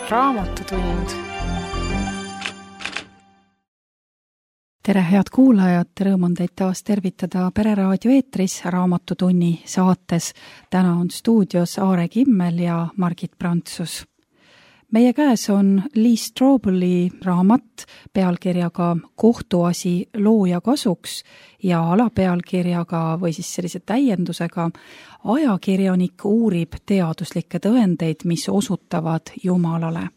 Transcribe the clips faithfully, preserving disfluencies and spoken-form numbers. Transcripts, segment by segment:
Raamatutund. Tere, head kuulajad, rõõm on teid taas tervitada Pereraadio eetris Raamatutunni saates. Täna on stuudios Aare Kimmel ja Margit Prantsus. Meie käes on Lee Strobeli raamat pealkirjaga Kohtuasi looja kasuks ja alapealkirjaga või siis sellise täiendusega Ajakirjanik uurib teaduslikke tõendeid, mis osutavad Jumalale.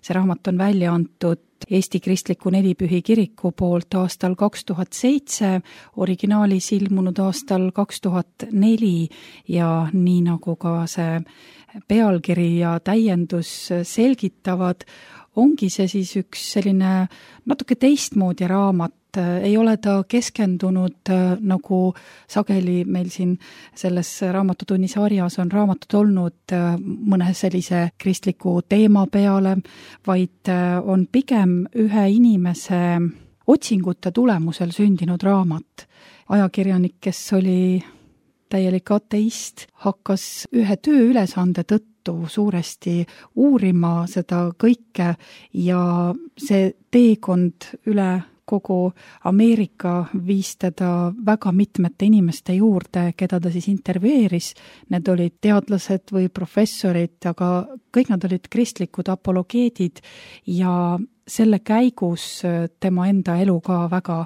See raamat on välja antud Eesti Kristliku Nelipühi Kiriku poolt aastal kaks tuhat seitse, originaalis ilmunud aastal kaks tuhat neli ja nii nagu ka see pealkiri ja täiendus selgitavad, ongi see siis üks selline natuke teistmoodi raamat. Ei ole ta keskendunud nagu sageli meil siin selles Raamatutunni sarjas on raamatud olnud mõne sellise kristliku teema peale, vaid on pigem ühe inimese otsingute tulemusel sündinud raamat. Ajakirjanik, kes oli täielik ateist, hakkas ühe tööülesande tõttu suuresti uurima seda kõike ja see teekond üle kogu Ameerika viis teda väga mitmete inimeste juurde, keda ta siis intervjueeris. Need olid teadlased või professorid, aga kõik nad olid kristlikud apologeedid ja selle käigus tema enda elu ka väga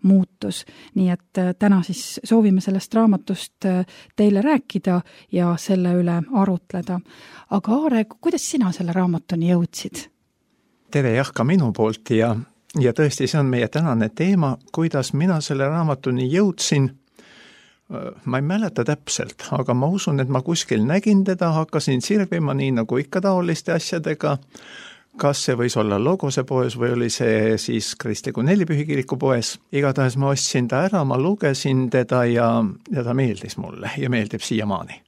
muutus. Nii et täna siis soovime sellest raamatust teile rääkida ja selle üle arutleda. Aga Aare, kuidas sina selle raamatuni jõudsid? Tere jah ka minu poolt ja Ja tõesti, see on meie tänane teema, kuidas mina selle raamatuni jõudsin. Ma ei mäleta täpselt, aga ma usun, et ma kuskil nägin teda, hakkasin sirvima nii nagu ikka taoliste asjadega. Kas see võis olla Logose poes või oli see siis Kristliku Nelipühi Kiriku poes. Igatahes ma ostsin ta ära, ma lugesin teda ja, ja ta meeldis mulle ja meeldib siiamaani.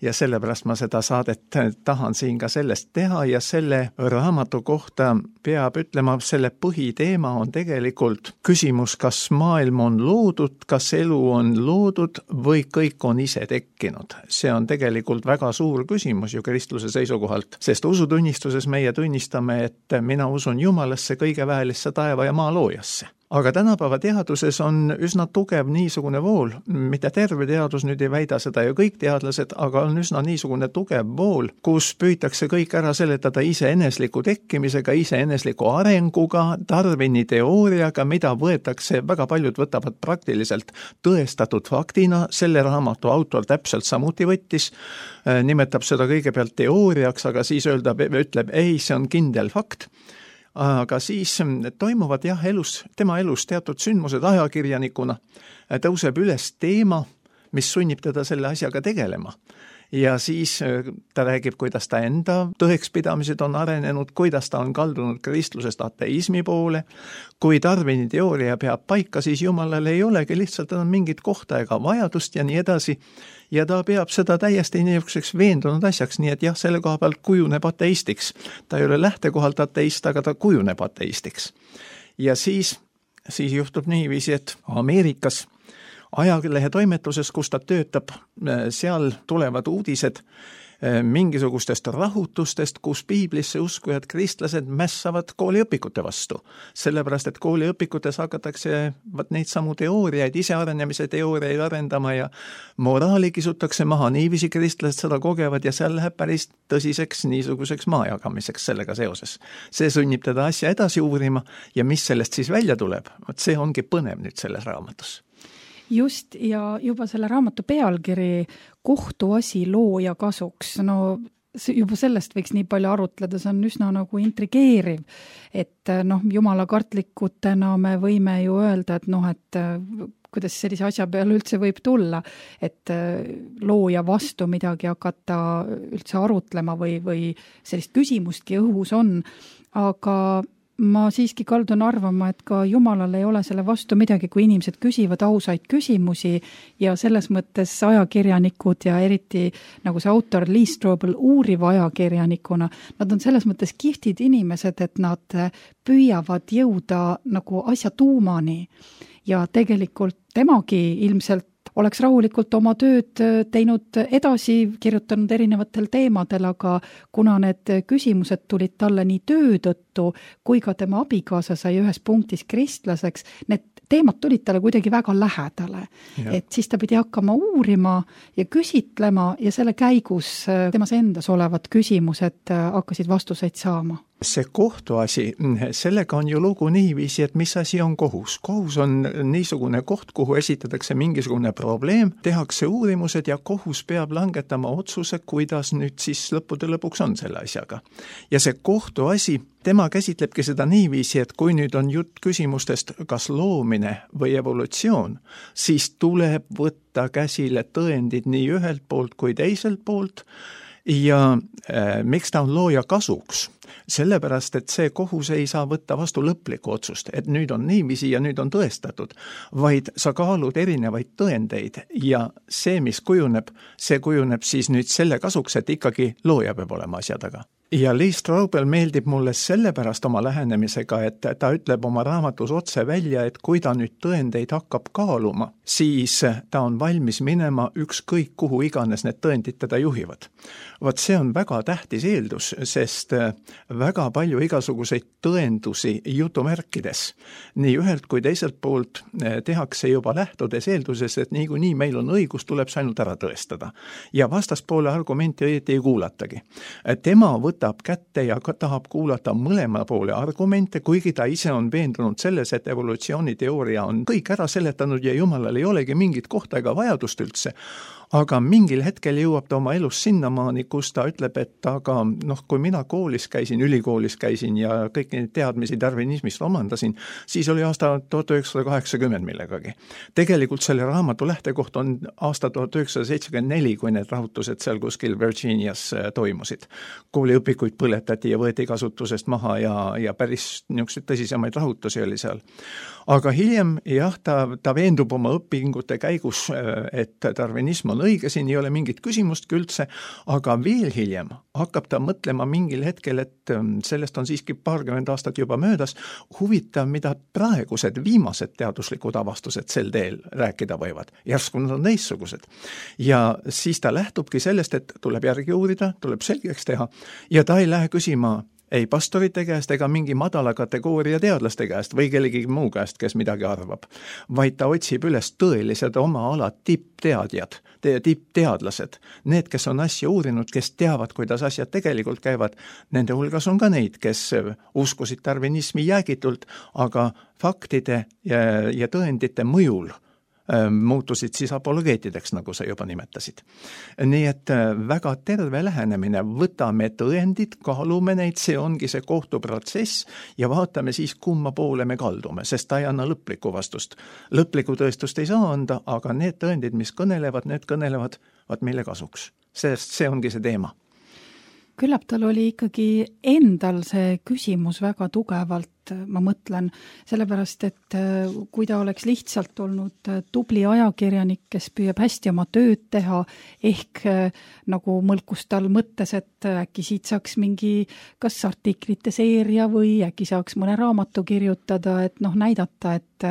Ja sellepärast ma seda saadet tahan siin ka sellest teha ja selle raamatu kohta peab ütlema, selle põhiteema on tegelikult küsimus, kas maailm on loodud, kas elu on loodud või kõik on ise tekkinud. See on tegelikult väga suur küsimus ju kristluse seisukohalt, sest usutunnistuses meie tunnistame, et mina usun Jumalasse, kõige väelisse taeva ja maa loojasse. Aga tänapäeva teaduses on üsna tugev niisugune vool, mitte terve teadus nüüd ei väida seda ju kõik teadlased, aga on üsna niisugune tugev vool, kus püütakse kõik ära seletada iseenesliku tekkimisega, iseenesliku arenguga, Darwini teooriaga, mida võetakse, väga paljud võtavad praktiliselt tõestatud faktina, selle raamatu autor täpselt samuti võttis, nimetab seda kõigepealt teooriaks, aga siis öelda, ütleb, ei, see on kindel fakt. Aga siis toimuvad jah elus, tema elus teatud sündmused ajakirjanikuna, tõuseb üles teema, mis sunnib teda selle asjaga tegelema. Ja siis ta räägib, kuidas ta enda tõekspidamised on arenenud, kuidas ta on kaldunud kristlusest ateismi poole. Kui Darwini teooria peab paika, siis Jumalal ei olegi lihtsalt enam mingit kohta ega vajadust ja nii edasi. Ja ta peab seda täiesti niisuguseks veendunud asjaks, nii et jah, selle koha pealt kujuneb ateistiks. Ta ei ole lähtekohalt ateist, aga ta kujuneb ateistiks. Ja siis, siis juhtub niiviisi, et Ameerikas ajalehe toimetuses, kus ta töötab, seal tulevad uudised mingisugustest rahutustest, kus piiblisse uskujad kristlased mässavad kooliõpikute vastu. Sellepärast, et kooliõpikutes hakatakse neid samu teooriaid, isearenemise teooriaid arendama ja moraali kisutakse maha, niiviisi kristlased seda kogevad ja seal läheb päris tõsiseks niisuguseks maajagamiseks sellega seoses. See sunnib teda asja edasi uurima ja mis sellest siis välja tuleb, see ongi põnev nüüd selles raamatus. Just, ja juba selle raamatu pealkiri Kohtuasi looja kasuks, no juba sellest võiks nii palju arutleda, see on üsna nagu intrigeeriv, et noh, jumala kartlikutena me võime ju öelda, et noh, et kuidas sellise asja peale üldse võib tulla, et looja vastu midagi hakata üldse arutlema või, või sellist küsimustki õhus on, aga ma siiski kaldun arvama, et ka Jumalal ei ole selle vastu midagi, kui inimesed küsivad ausaid küsimusi ja selles mõttes ajakirjanikud ja eriti nagu see autor Lee Strobel uuriva ajakirjanikuna, nad on selles mõttes kihtid inimesed, et nad püüavad jõuda nagu asja tuumani ja tegelikult temagi ilmselt oleks rahulikult oma tööd teinud edasi, kirjutanud erinevatel teemadel, aga kuna need küsimused tulid talle nii töö tõttu, kui ka tema abikaasa sai ühes punktis kristlaseks, need teemad tulid talle kuidagi väga lähedale. Et siis ta pidi hakkama uurima ja küsitlema ja selle käigus temas endas olevad küsimused hakkasid vastuseid saama. See kohtuasi, sellega on ju lugu niiviisi, et mis asi on kohus. Kohus on niisugune koht, kuhu esitatakse mingisugune probleem, tehakse uurimused ja kohus peab langetama otsuse, kuidas nüüd siis lõppude lõpuks on selle asjaga. Ja see kohtuasi, tema käsitlebki seda niiviisi, et kui nüüd on jutt küsimustest kas loomine või evolutsioon, siis tuleb võtta käsile tõendid nii ühelt poolt kui teiselt poolt. Ja äh, miks ta on looja kasuks? Sellepärast, et see kohus ei saa võtta vastu lõplikku otsust, et nüüd on niiviisi ja nüüd on tõestatud, vaid sa kaalud erinevaid tõendeid ja see, mis kujuneb, see kujuneb siis nüüd selle kasuks, et ikkagi looja peab olema asja taga. Ja Lee Strobel meeldib mulle sellepärast oma lähenemisega, et ta ütleb oma raamatus otse välja, et kui ta nüüd tõendeid hakkab kaaluma, siis ta on valmis minema ükskõik kuhu iganes need tõendid teda juhivad. Vaat see on väga tähtis eeldus, sest väga palju igasuguseid tõendusi jutumärkides nii ühelt kui teiselt poolt tehakse juba lähtudes eelduses, et niikuinii meil on õigus, tuleb see ainult ära tõestada. Ja vastaspoole argumenti õieti ei kuulatagi. Tema võtab kätte ja tahab kuulata mõlema poole argumente, kuigi ta ise on veendunud selles, et evolutsiooniteooria on kõik ära seletanud ja Jumalal ei olegi mingit kohta ega vajadust üldse. Aga mingil hetkel jõuab ta oma elus sinnamaani, kus ta ütleb, et aga noh, kui mina koolis käisin, ülikoolis käisin ja kõik neid teadmisi darwinismist omandasin, siis oli aasta tuhat üheksasada kaheksakümmend millegagi. Tegelikult selle raamatu lähtekoht on aasta tuhat üheksasada seitsekümmend neli, kui need rahutused seal kuskil Virginias toimusid. Kooliõpikuid põletati ja võeti kasutusest maha ja, ja päris niisuguseid tõsisemaid rahutusi oli seal. Aga hiljem, jah, ta, ta veendub oma õpingute käigus, et darwinism on õige, siin ei ole mingit küsimustki üldse, aga veel hiljem hakkab ta mõtlema mingil hetkel, et sellest on siiski paarkümmend aastat juba möödas, huvitav, mida praegused viimased teaduslikud avastused sel teel rääkida võivad. Järsku nad on teistsugused. Ja siis ta lähtubki sellest, et tuleb järgi uurida, tuleb selgeks teha ja ta ei lähe küsima ei pastorite käest ega mingi madala kategooria teadlaste käest või kellegi muu käest, kes midagi arvab, vaid ta otsib üles tõelised oma ala tippteadjad, tippteadlased, need, kes on asja uurinud, kes teavad, kuidas asjad tegelikult käivad, nende hulgas on ka neid, kes uskusid darwinismi jäägitult, aga faktide ja, ja tõendite mõjul muutusid siis apologeetideks, nagu sa juba nimetasid. Nii et väga terve lähenemine, võtame tõendid, kaalume neid, see ongi see kohtuprotsess ja vaatame siis, kumma poole me kaldume, sest ta ei anna lõplikku vastust. Lõplikku tõestust ei saa anda, aga need tõendid, mis kõnelevad, need kõnelevad vaat meile kasuks, sest see ongi see teema. Küllap tal oli ikkagi endal see küsimus väga tugevalt, ma mõtlen, sellepärast, et kui ta oleks lihtsalt olnud tubli ajakirjanik, kes püüab hästi oma tööd teha, ehk nagu mõlkus tal mõttes, et äkki siit saaks mingi kas artiklite seeria või äkki saaks mõne raamatu kirjutada, et noh, näidata, et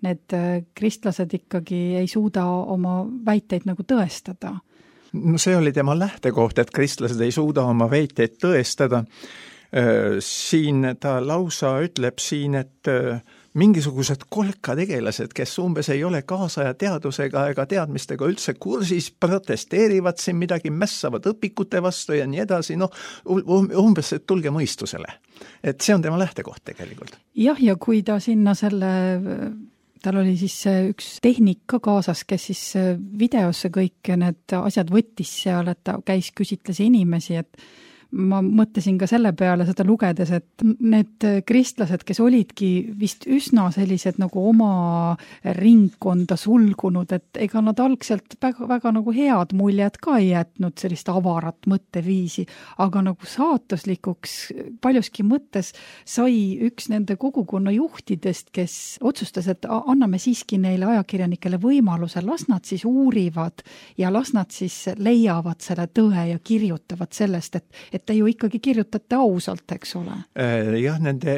need kristlased ikkagi ei suuda oma väiteid nagu tõestada. No see oli tema lähtekoht, et kristlased ei suuda oma väiteid tõestada. Siin ta lausa ütleb siin, et mingisugused kolkategelased, kes umbes ei ole kaasaja teadusega ega teadmistega üldse kursis, protesteerivad siin midagi, mässavad õpikute vastu ja nii edasi, noh, umbes, et tulge mõistusele. Et see on tema lähtekoht tegelikult. Jah, ja kui ta sinna selle... Tal oli siis üks tehnik ka kaasas, kes siis videosse kõik need asjad võttis seal, et ta käis küsitles inimesi, et ma mõtlesin ka selle peale seda lugedes, et need kristlased, kes olidki vist üsna sellised nagu oma ringkonda sulgunud, et ega nad algselt väga, väga nagu head muljed ka ei jätnud sellist avarat mõtteviisi, aga nagu saatuslikuks paljuski mõttes sai üks nende kogukonna juhtidest, kes otsustas, et anname siiski neile ajakirjanikele võimaluse, las nad siis uurivad ja las nad siis leiavad selle tõe ja kirjutavad sellest, et, et te ju ikkagi kirjutate ausalt, eks ole? Jah, nende,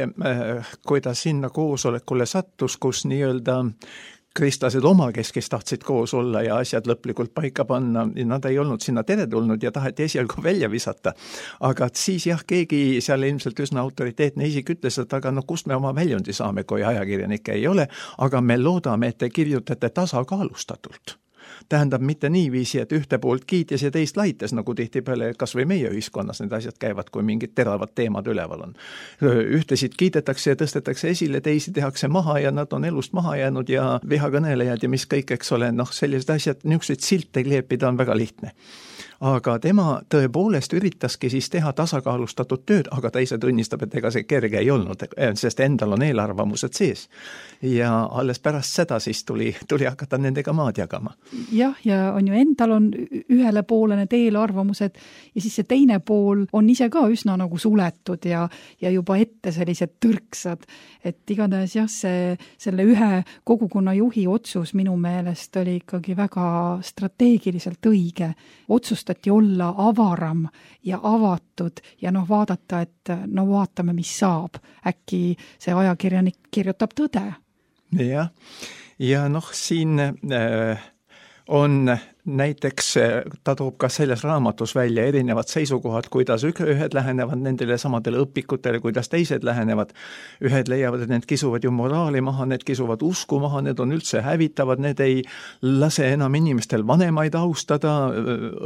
kui ta sinna koosolekule sattus, kus nii-öelda kristlased omakeskis tahtsid koos olla ja asjad lõplikult paika panna, nad ei olnud sinna teretulnud ja taheti esialgu välja visata. Aga siis jah, keegi seal ilmselt üsna autoriteetne isik ütles, et aga no kust me oma väljundi saame, kui ajakirjanikke ei ole, aga me loodame, et te kirjutate tasakaalustatult. Tähendab mitte niiviisi, et ühte poolt kiitis ja teist laites, nagu tihtipeale kas või meie ühiskonnas need asjad käivad, kui mingid teravad teemad üleval on. Ühtesid kiidetakse ja tõstetakse esile, teisi tehakse maha ja nad on elust maha jäänud ja vihakõnelejad ja mis kõik, eks ole, noh, sellised asjad, niisuguseid silte kleepida on väga lihtne. Aga tema tõepoolest üritaski siis teha tasakaalustatud tööd, aga ta ise tunnistab, et ega see kerge ei olnud, sest endal on eelarvamused sees. Ja alles pärast seda siis tuli, tuli hakata nendega maad jagama. Jah, ja on ju endal on ühele poole need eelarvamused ja siis see teine pool on ise ka üsna nagu suletud ja, ja juba ette sellised tõrksad. Et igatahes jah, see, selle ühe kogukonna juhi otsus minu meelest oli ikkagi väga strateegiliselt õige. Otsustati olla avaram ja avatud ja noh vaadata, et no vaatame, mis saab. Äkki see ajakirjanik kirjutab tõde. Jah, ja noh, siin äh, on näiteks, ta toob ka selles raamatus välja erinevad seisukohad, kuidas ühed lähenevad nendele samadele õpikutele, kuidas teised lähenevad. Ühed leiavad, et need kisuvad ju moraali maha, need kisuvad usku maha, need on üldse hävitavad, need ei lase enam inimestel vanemaid austada,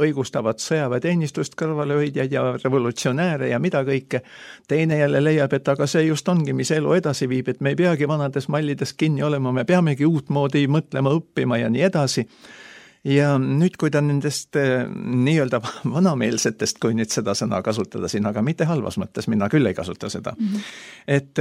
õigustavad sõjaväeteenistust kõrvalehoidjaid ja revolutsionääre ja mida kõike. Teine jälle leiab, et aga see just ongi, mis elu edasi viib, et me ei peagi vanades mallides kinni olema, me peamegi uutmoodi mõtlema, õppima ja nii edasi. Ja nüüd, kui ta nendest nii-öelda vanameelsetest, kui nüüd seda sõna kasutada siin, aga mitte halvas mõttes, mina küll ei kasuta seda. Mm-hmm. Et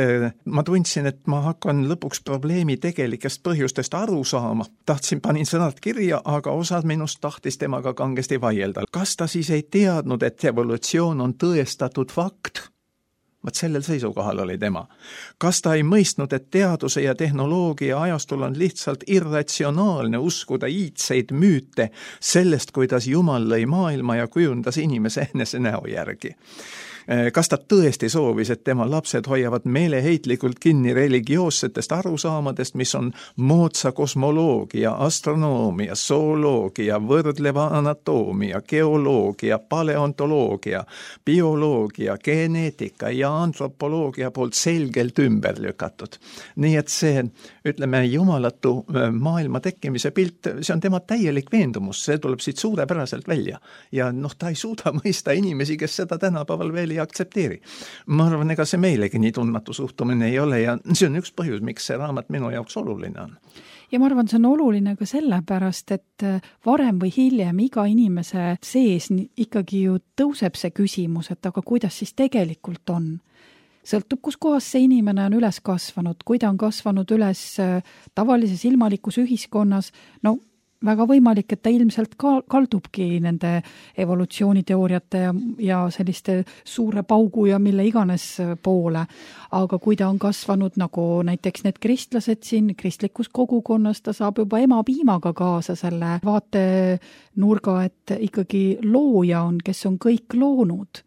ma tundsin, et ma hakkan lõpuks probleemi tegelikest põhjustest aru saama. Tahtsin, panin sõnad kirja, aga osad minust tahtis temaga kangesti vaielda. Kas ta siis ei teadnud, et evolutsioon on tõestatud fakt? Vaat sellel seisukohal oli tema. Kas ta ei mõistnud, et teaduse ja tehnoloogia ajastul on lihtsalt irratsionaalne uskuda iidseid müüte sellest, kuidas Jumal lõi maailma ja kujundas inimese enese näo järgi? Kas ta tõesti soovis, et tema lapsed hoiavad meeleheitlikult kinni religioossetest arusaamadest, mis on moodsa kosmoloogia, astronoomia, zooloogia, võrdleva anatoomia, geoloogia, paleontoloogia, bioloogia, geneetika ja antropoloogia poolt selgelt ümber lükatud. Nii et see, ütleme, jumalatu maailma tekkimise pilt, see on tema täielik veendumus, see tuleb siit suurepäraselt välja. Ja noh, ta ei suuda mõista inimesi, kes seda tänapäeval veel ei aktsepteeri. Ma arvan, ega see meilegi nii tundmatu suhtumine ei ole ja see on üks põhjus, miks see raamat minu jaoks oluline on. Ja ma arvan, see on oluline ka sellepärast, et varem või hiljem iga inimese sees ikkagi ju tõuseb see küsimus, et aga kuidas siis tegelikult on. Sõltub, kus kohas see inimene on üles kasvanud, kui ta on kasvanud üles tavalises ilmalikus ühiskonnas, no väga võimalik, et ta ilmselt ka kaldubki nende evolutsiooniteooriate ja, ja selliste suure paugu ja mille iganes poole. Aga kui ta on kasvanud nagu näiteks need kristlased siin kristlikus kogukonnas, ta saab juba ema piimaga kaasa selle vaatenurga, et ikkagi looja on, kes on kõik loonud.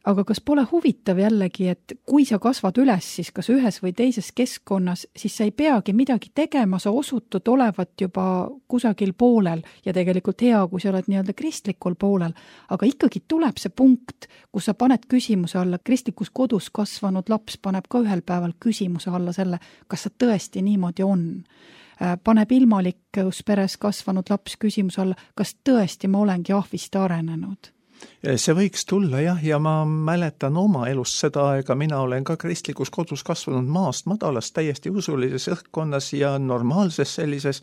Aga kas pole huvitav jällegi, et kui sa kasvad üles siis kas ühes või teises keskkonnas, siis sa ei peagi midagi tegema, sa osutud olevat juba kusagil poolel ja tegelikult hea, kui sa oled nii-öelda kristlikul poolel. Aga ikkagi tuleb see punkt, kus sa paned küsimuse alla, kristlikus kodus kasvanud laps paneb ka ühel päeval küsimuse alla selle, kas sa tõesti niimoodi on. Paneb ilmalikus peres kasvanud laps küsimuse alla, kas tõesti ma olengi ahvist arenenud. See võiks tulla jah, ja ma mäletan oma elust seda aega, mina olen ka kristlikus kodus kasvanud maast madalast, täiesti usulises õhkkonnas ja normaalses sellises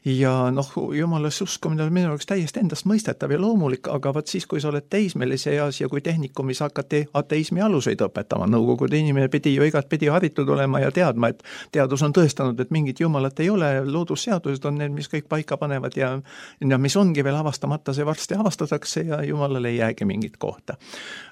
ja noh, jumalasse uskumine on minu jaoks täiesti endast mõistetav ja loomulik, aga vaat siis, kui sa oled teismelise eas ja kui tehnikumis hakati ateismi aluseid õpetama, nõukogude inimene pidi ju igat pidi haritud olema ja teadma, et teadus on tõestanud, et mingit jumalat ei ole, loodusseadused on need, mis kõik paika panevad ja, ja mis ongi veel avastamata, see varsti avastatakse ja jumalale ei jäägi mingit kohta.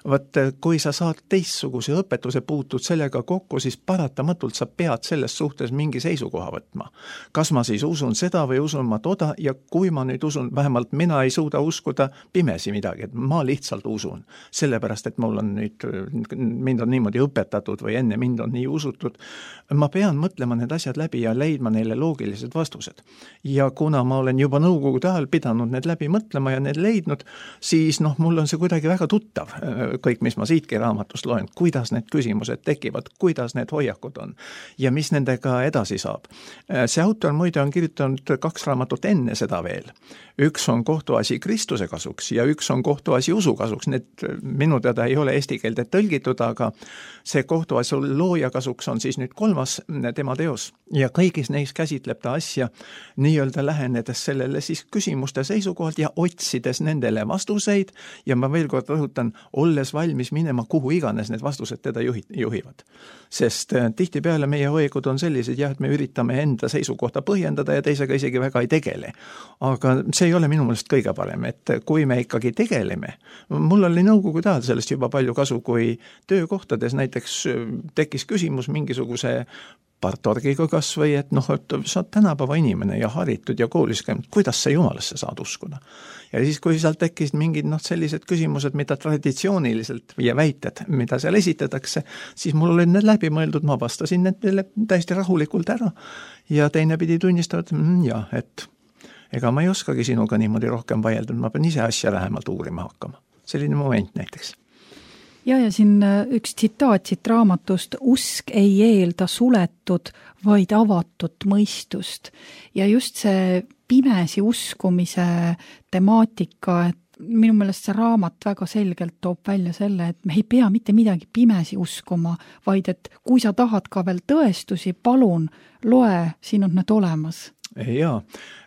Vaat, kui sa saad teistsuguse õpetuse puutud sellega kokku, siis paratamatult sa pead selles suhtes mingi seisukoha võtma. Kas ma siis usun seda või usun ma toda ja kui ma nüüd usun, vähemalt mina ei suuda uskuda pimesi midagi, et ma lihtsalt usun. Sellepärast, et mul on nüüd, mind on niimoodi õpetatud või enne mind on nii usutud. Ma pean mõtlema need asjad läbi ja leidma neile loogilised vastused. Ja kuna ma olen juba nõukogude ajal pidanud need läbi mõtlema ja need leidnud, siis noh, mul on see kuidagi väga tuttav, kõik, mis ma siitki raamatust loen, kuidas need küsimused tekivad, kuidas need hoiakud on ja mis nendega edasi saab. See autor muide on kirjutanud kaks raamatut enne seda veel. Üks on kohtuasi Kristuse kasuks ja üks on kohtuasi usu kasuks. Need minu teada ei ole eesti keelde tõlgitud, aga see kohtuasi looja kasuks on siis nüüd kolmas tema teos. Ja kõigis neis käsitleb ta asja nii-öelda lähenedes sellele siis küsimuste seisukohalt ja otsides nendele vastuseid ja ma veel kord rõhutan, olles valmis minema kuhu iganes need vastused teda juhivad. Sest tihtipeale meie hoiakud on sellised, jah, et me üritame enda seisukohta põhjendada ja teisega isegi väga ei tegele. Aga see ei ole minu meelest kõige parem, et kui me ikkagi tegeleme, mul oli nõukogude ajal sellest juba palju kasu, kui töökohtades näiteks tekkis küsimus mingisuguse partorgiga kas või, et noh, et sa oled tänapäeva inimene ja haritud ja koolis käinud, kuidas sa jumalasse saad uskuda? Ja siis, kui sealt tekkisid mingid noh, sellised küsimused, mida traditsiooniliselt ja väited, mida seal esitatakse, siis mul olid need läbi mõeldud, ma vastasin need täiesti rahulikult ära ja teine pidi tunnistavad, mm, jah, et ega ma ei oskagi sinuga niimoodi rohkem vaielda, ma pean ise asja lähemalt uurima hakkama. Selline moment näiteks. Ja, ja siin üks tsitaat siit raamatust, usk ei eelda suletud, vaid avatud mõistust. Ja just see pimesi uskumise temaatika, et minu meelest see raamat väga selgelt toob välja selle, et me ei pea mitte midagi pimesi uskuma, vaid et kui sa tahad ka veel tõestusi, palun, loe, siin on need olemas. Jaa,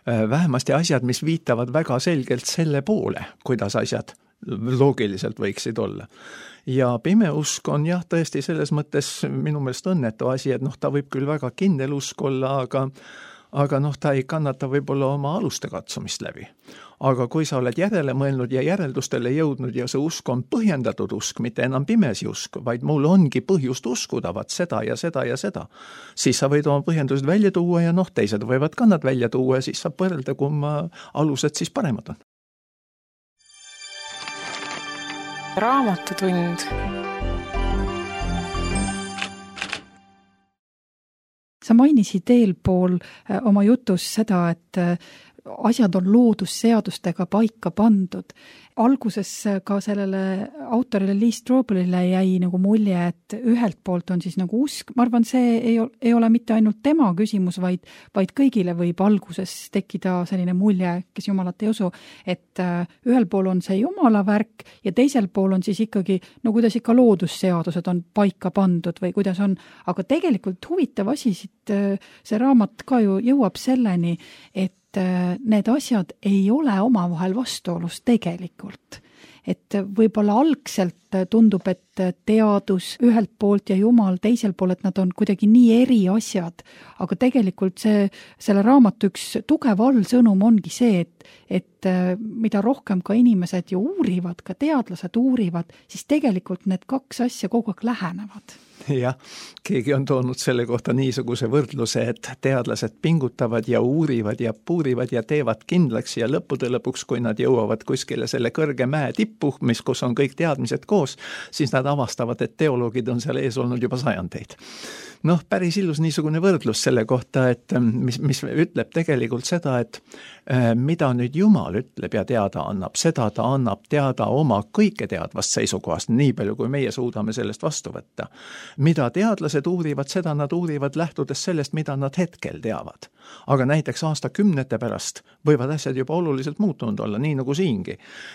vähemasti asjad, mis viitavad väga selgelt selle poole, kuidas asjad loogiliselt võiksid olla. Ja pimeusk on jah, tõesti selles mõttes minu meelest õnnetu asi, et noh, ta võib küll väga kindel usk olla, aga, aga noh, ta ei kannata võib-olla oma aluste katsumist läbi. Aga kui sa oled järele mõelnud ja järeldustele jõudnud ja see usk on põhjendatud usk, mitte enam pimesi usk, vaid mul ongi põhjust uskuda, vaat seda ja seda ja seda, siis sa võid oma põhjendused välja tuua ja noh, teised võivad ka nad välja tuua ja siis saab võrrelda, kumma alused siis paremad on. Raamatutund. Sa mainisid eelpool oma jutus seda, et asjad on loodusseadustega paika pandud. Alguses ka sellele autorile Lee Strobelile jäi nagu mulje, et ühelt poolt on siis nagu usk. Ma arvan, see ei, ei ole mitte ainult tema küsimus, vaid, vaid kõigile võib alguses tekkida selline mulje, kes jumalat ei usu, et ühel pool on see jumala värk ja teisel pool on siis ikkagi, no kuidas ikka loodusseadused on paika pandud või kuidas on. Aga tegelikult huvitav asi siit, see raamat ka ju jõuab selleni, et need asjad ei ole omavahel vastuolus tegelikult. Et võib-olla algselt tundub, et teadus ühelt poolt ja jumal teisel pool, et nad on kuidagi nii eri asjad, aga tegelikult see, selle raamatu üks tugev allsõnum ongi see, et, et mida rohkem ka inimesed ju uurivad, ka teadlased uurivad, siis tegelikult need kaks asja kogu aeg lähenevad. Jah, keegi on toonud selle kohta niisuguse võrdluse, et teadlased pingutavad ja uurivad ja puurivad ja teevad kindlaks ja lõppude lõpuks, kui nad jõuavad kuskile selle kõrge mäe tippu, mis, kus on kõik teadmised koos, siis nad avastavad, et teoloogid on seal ees olnud juba sajandeid. Noh, päris ilus niisugune võrdlus selle kohta, et mis, mis ütleb tegelikult seda, et mida nüüd Jumal ütleb ja teada annab, seda ta annab teada oma kõike teadvast seisukohast, nii palju kui meie suudame sellest vastu võtta. Mida teadlased uurivad, seda nad uurivad lähtudes sellest, mida nad hetkel teavad. Aga näiteks aastakümnete pärast võivad asjad juba oluliselt muutunud olla, nii nagu siingi.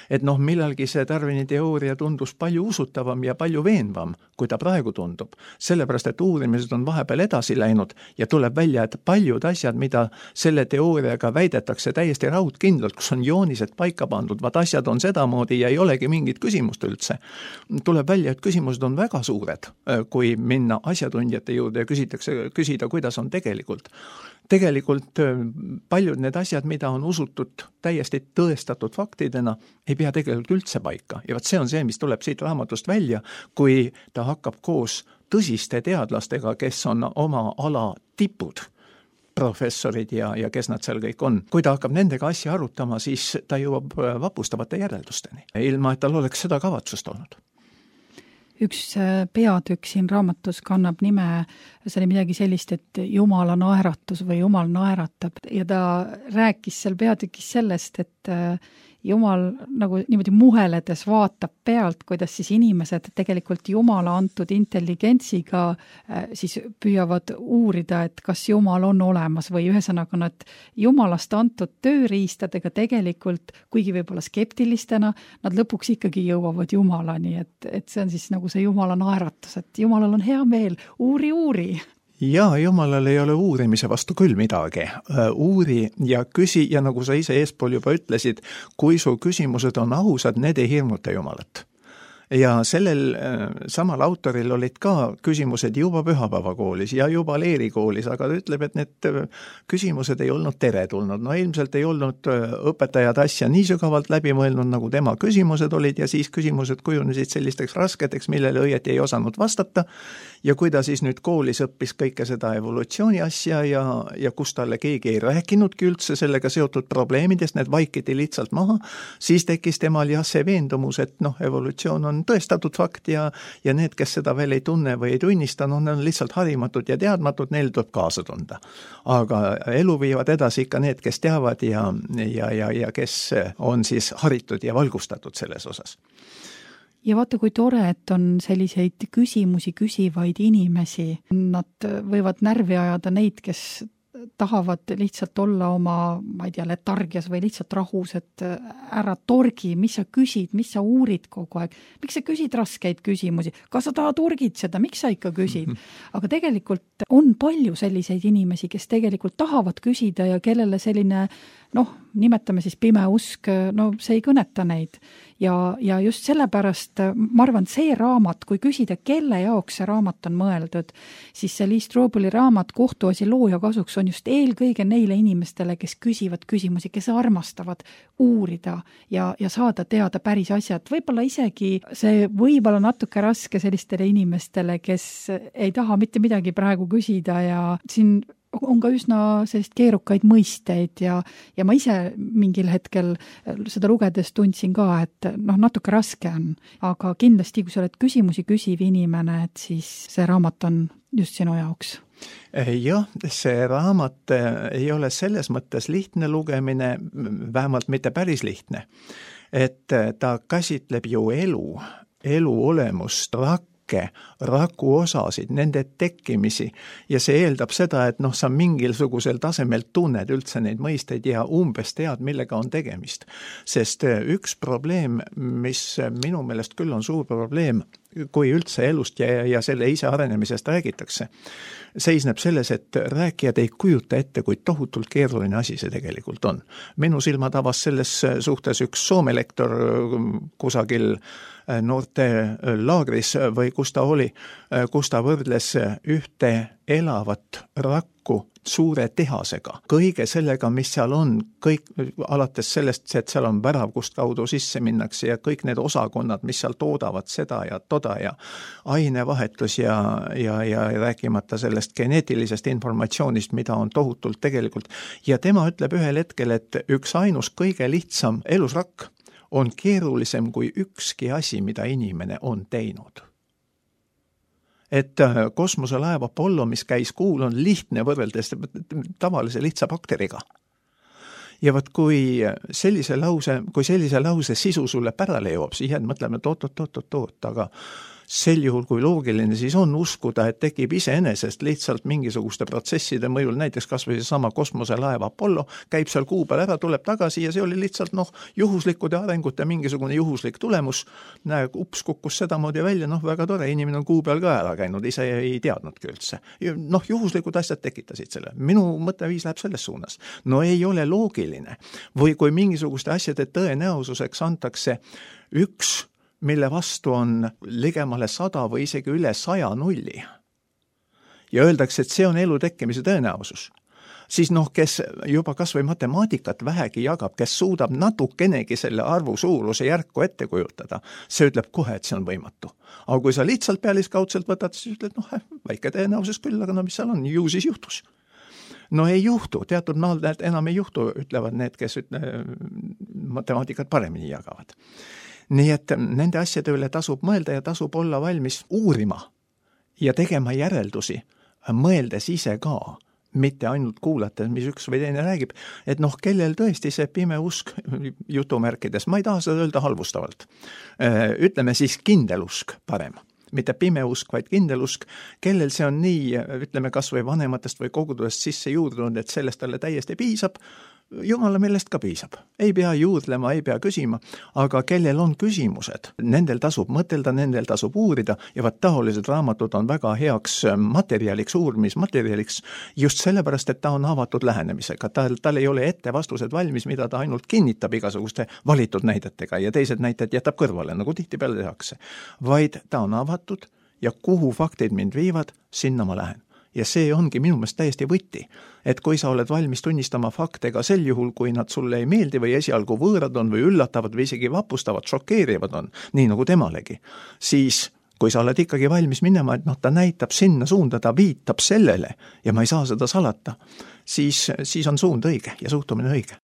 Et noh, millalgi see Darwini teooria tundus palju usutavam ja palju veenvam, kui ta praegu tundub. Sellepärast, et uurimised on vahepeal edasi läinud ja tuleb välja, et paljud asjad, mida selle teooriaga väidetakse täiesti raudkindlalt, kus on joonised paika pandud, vaat asjad on sedamoodi ja ei olegi mingit küsimust üldse. Tuleb välja, et küsimused on väga suured, kui minna asjatundjate juurde ja küsitakse, küsida, kuidas on tegelikult. Tegelikult paljud need asjad, mida on usutud täiesti tõestatud faktidena, ei pea tegelikult üldse paika. Ja vaat see on see, mis tuleb siit raamatust välja, kui ta hakkab koos tõsiste teadlastega, kes on oma ala tipud, professorid ja, ja kes nad seal kõik on. Kui ta hakkab nendega asja arutama, siis ta jõuab vapustavate järeldusteni, ilma et tal oleks seda kavatsust olnud. Üks peatükk siin raamatus kannab nime, see oli midagi sellist, et Jumala naeratus või Jumal naeratab ja ta rääkis seal peatükis sellest, et Jumal nagu niimoodi muheledes vaatab pealt, kuidas siis inimesed tegelikult Jumala antud intelligentsiga siis püüavad uurida, et kas Jumal on olemas või ühesõnaga nad Jumalast antud tööriistadega tegelikult, kuigi võib-olla skeptilistena, nad lõpuks ikkagi jõuavad Jumalani, et, et see on siis nagu see Jumala naeratus, et Jumalal on hea meel, uuri, uuri. Jaa, Jumalal ei ole uurimise vastu küll midagi. Uuri ja küsi ja nagu sa ise eespool juba ütlesid, kui su küsimused on ausad, need ei hirmuta Jumalat. Ja sellel samal autoril olid ka küsimused juba pühapäevakoolis ja juba leerikoolis, aga ta ütleb, et need küsimused ei olnud teretulnud. No ilmselt ei olnud õpetajad asja nii sügavalt läbi mõelnud, nagu tema küsimused olid ja siis küsimused kujunesid sellisteks rasketeks, millele õieti ei osanud vastata. Ja kui ta siis nüüd koolis õppis kõike seda evolutsiooni asja ja, ja kus talle keegi ei rääkinudki üldse sellega seotud probleemidest, need vaikiti lihtsalt maha, siis tekkis temal jah see veendumus, et noh, evolutsioon on tõestatud fakt ja, ja need, kes seda veel ei tunne või ei tunnista, no need on lihtsalt harimatud ja teadmatud, neil tuleb kaasa tunda. Aga elu viivad edasi ikka need, kes teavad ja, ja, ja, ja kes on siis haritud ja valgustatud selles osas. Ja vaata, kui tore, et on selliseid küsimusi küsivaid inimesi. Nad võivad närvi ajada neid, kes tahavad lihtsalt olla oma, ma ei tea, letargias või lihtsalt rahus, et ära torgi, mis sa küsid, mis sa uurid kogu aeg. Miks sa küsid raskeid küsimusi? Kas sa tahad urgid seda? Miks sa ikka küsid? Aga tegelikult on palju selliseid inimesi, kes tegelikult tahavad küsida ja kellele selline, noh, nimetame siis pime usk, no see ei kõneta neid. Ja, ja just sellepärast, ma arvan, see raamat, kui küsida, kelle jaoks see raamat on mõeldud, siis see Lee Strobeli raamat Kohtuasi looja kasuks on just eelkõige neile inimestele, kes küsivad küsimusi, kes armastavad uurida ja, ja saada teada päris asjad. Võib-olla isegi see võib-olla natuke raske sellistele inimestele, kes ei taha mitte midagi praegu küsida ja siin on ka üsna sellist keerukaid mõisteid ja, ja ma ise mingil hetkel seda lugedes tundsin ka, et noh, natuke raske on, aga kindlasti, kui sa oled küsimusi küsiv inimene, et siis see raamat on just sinu jaoks. Jah, see raamat ei ole selles mõttes lihtne lugemine, vähemalt mitte päris lihtne, et ta käsitleb ju elu, elu olemust, rakku, raku osasid, nende tekkimisi ja see eeldab seda, et noh, sa mingilsugusel tasemel tunned üldse neid mõisteid ja umbes tead, millega on tegemist. Sest üks probleem, mis minu meelest küll on suur probleem, kui üldse elust ja, ja selle ise arenemisest räägitakse, seisneb selles, et rääkijad ei kujuta ette, kui tohutult keeruline asi see tegelikult on. Minu silma tavas selles suhtes üks Soome lektor kusagil noorte laagris või kus ta oli, kus ta võrdles ühte elavat rakku suure tehasega. Kõige sellega, mis seal on, kõik alates sellest, et seal on värav, kust kaudu sisse minnakse ja kõik need osakonnad, mis seal toodavad seda ja toda ja ainevahetus ja, ja, ja rääkimata sellest geneetilisest informatsioonist, mida on tohutult tegelikult. Ja tema ütleb ühel hetkel, et üks ainus kõige lihtsam elusrakk on keerulisem kui ükski asi, mida inimene on teinud. Et kosmoselaev Apollo, mis käis kuul, on lihtne võrreldes tavalise lihtsa bakteriga. Ja võt, kui sellise lause, kui sellise lause sisu sulle pärale jõuab, siis jääd mõtlema, et oot, oot, oot, oot, oot, aga sel juhul, kui loogiline, siis on uskuda, et tekib iseenesest lihtsalt mingisuguste protsesside mõjul, näiteks kas või sama kosmoselaev Apollo, käib seal kuu peal ära, tuleb tagasi ja see oli lihtsalt noh, juhuslikude arengute mingisugune juhuslik tulemus, näe, ups kukkus sedamoodi välja, noh väga tore, inimene on kuu peal ka ära käinud, ise ei teadnudki üldse. Noh, juhuslikud asjad tekitasid selle. Minu mõtteviis läheb selles suunas. No ei ole loogiline. Või kui mingisuguste asjade tõenäosuseks antakse üks mille vastu on ligemale sada või isegi üle saja nulli. Ja öeldakse, et see on elu tekkimise tõenäosus. Siis noh, kes juba kas või matemaatikat vähegi jagab, kes suudab natukenegi selle arvu suuruse järku ette kujutada, see ütleb kohe, et see on võimatu. Aga kui sa lihtsalt pealiskaudselt võtad, siis ütled, noh, väike tõenäosus küll, aga no mis seal on, ju siis juhtus. no ei juhtu, teatud maal enam ei juhtu, ütlevad need, kes ütle, matemaatikat paremini jagavad. Nii et nende asjade üle tasub mõelda ja tasub olla valmis uurima ja tegema järeldusi, mõeldes ise ka, mitte ainult kuulates, mis üks või teine räägib, et noh, kellel tõesti see pime usk jutumärkides, ma ei taha seda öelda halvustavalt, ütleme siis kindel usk parem. Mitte pime usk, vaid kindel usk, kellel see on nii, ütleme kas või vanematest või kogudusest sisse juurdunud, et sellest talle täiesti piisab, Jumala millest ka piisab. Ei pea juurdlema, ei pea küsima, aga kellel on küsimused, nendel tasub mõtelda, nendel tasub uurida ja vaat taolised raamatud on väga heaks materjaliks, uurimismaterjaliks just sellepärast, et ta on avatud lähenemisega. Tal, tal ei ole ette vastused valmis, mida ta ainult kinnitab igasuguste valitud näidetega ja teised näited jätab kõrvale, nagu tihtipeale tehakse. Vaid ta on avatud ja kuhu faktid mind viivad, sinna ma lähen. Ja see ongi minu meelest täiesti võti, et kui sa oled valmis tunnistama fakte ka sel juhul, kui nad sulle ei meeldi või esialgu võõrad on või üllatavad või isegi vapustavad, šokeerivad on, nii nagu temalegi, siis kui sa oled ikkagi valmis minema, et noh, ta näitab sinna suunda, ta viitab sellele ja ma ei saa seda salata, siis, siis on suund õige ja suhtumine õige.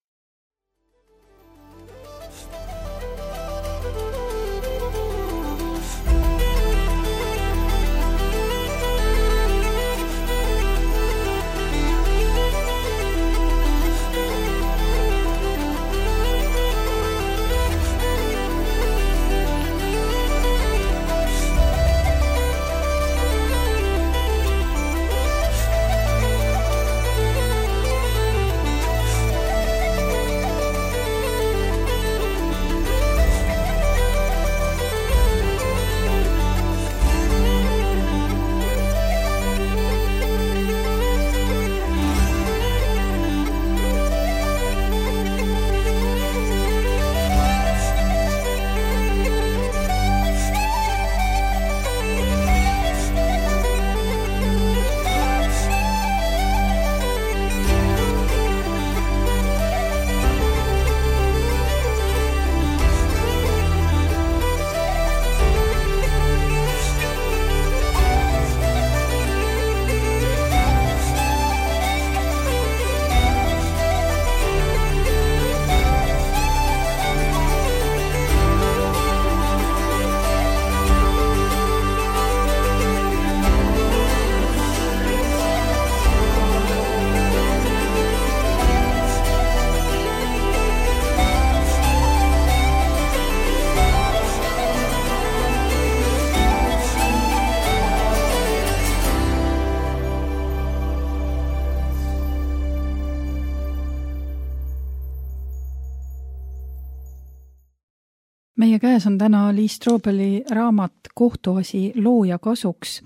Meie käes on täna Lee Strobeli raamat Kohtuasi looja kasuks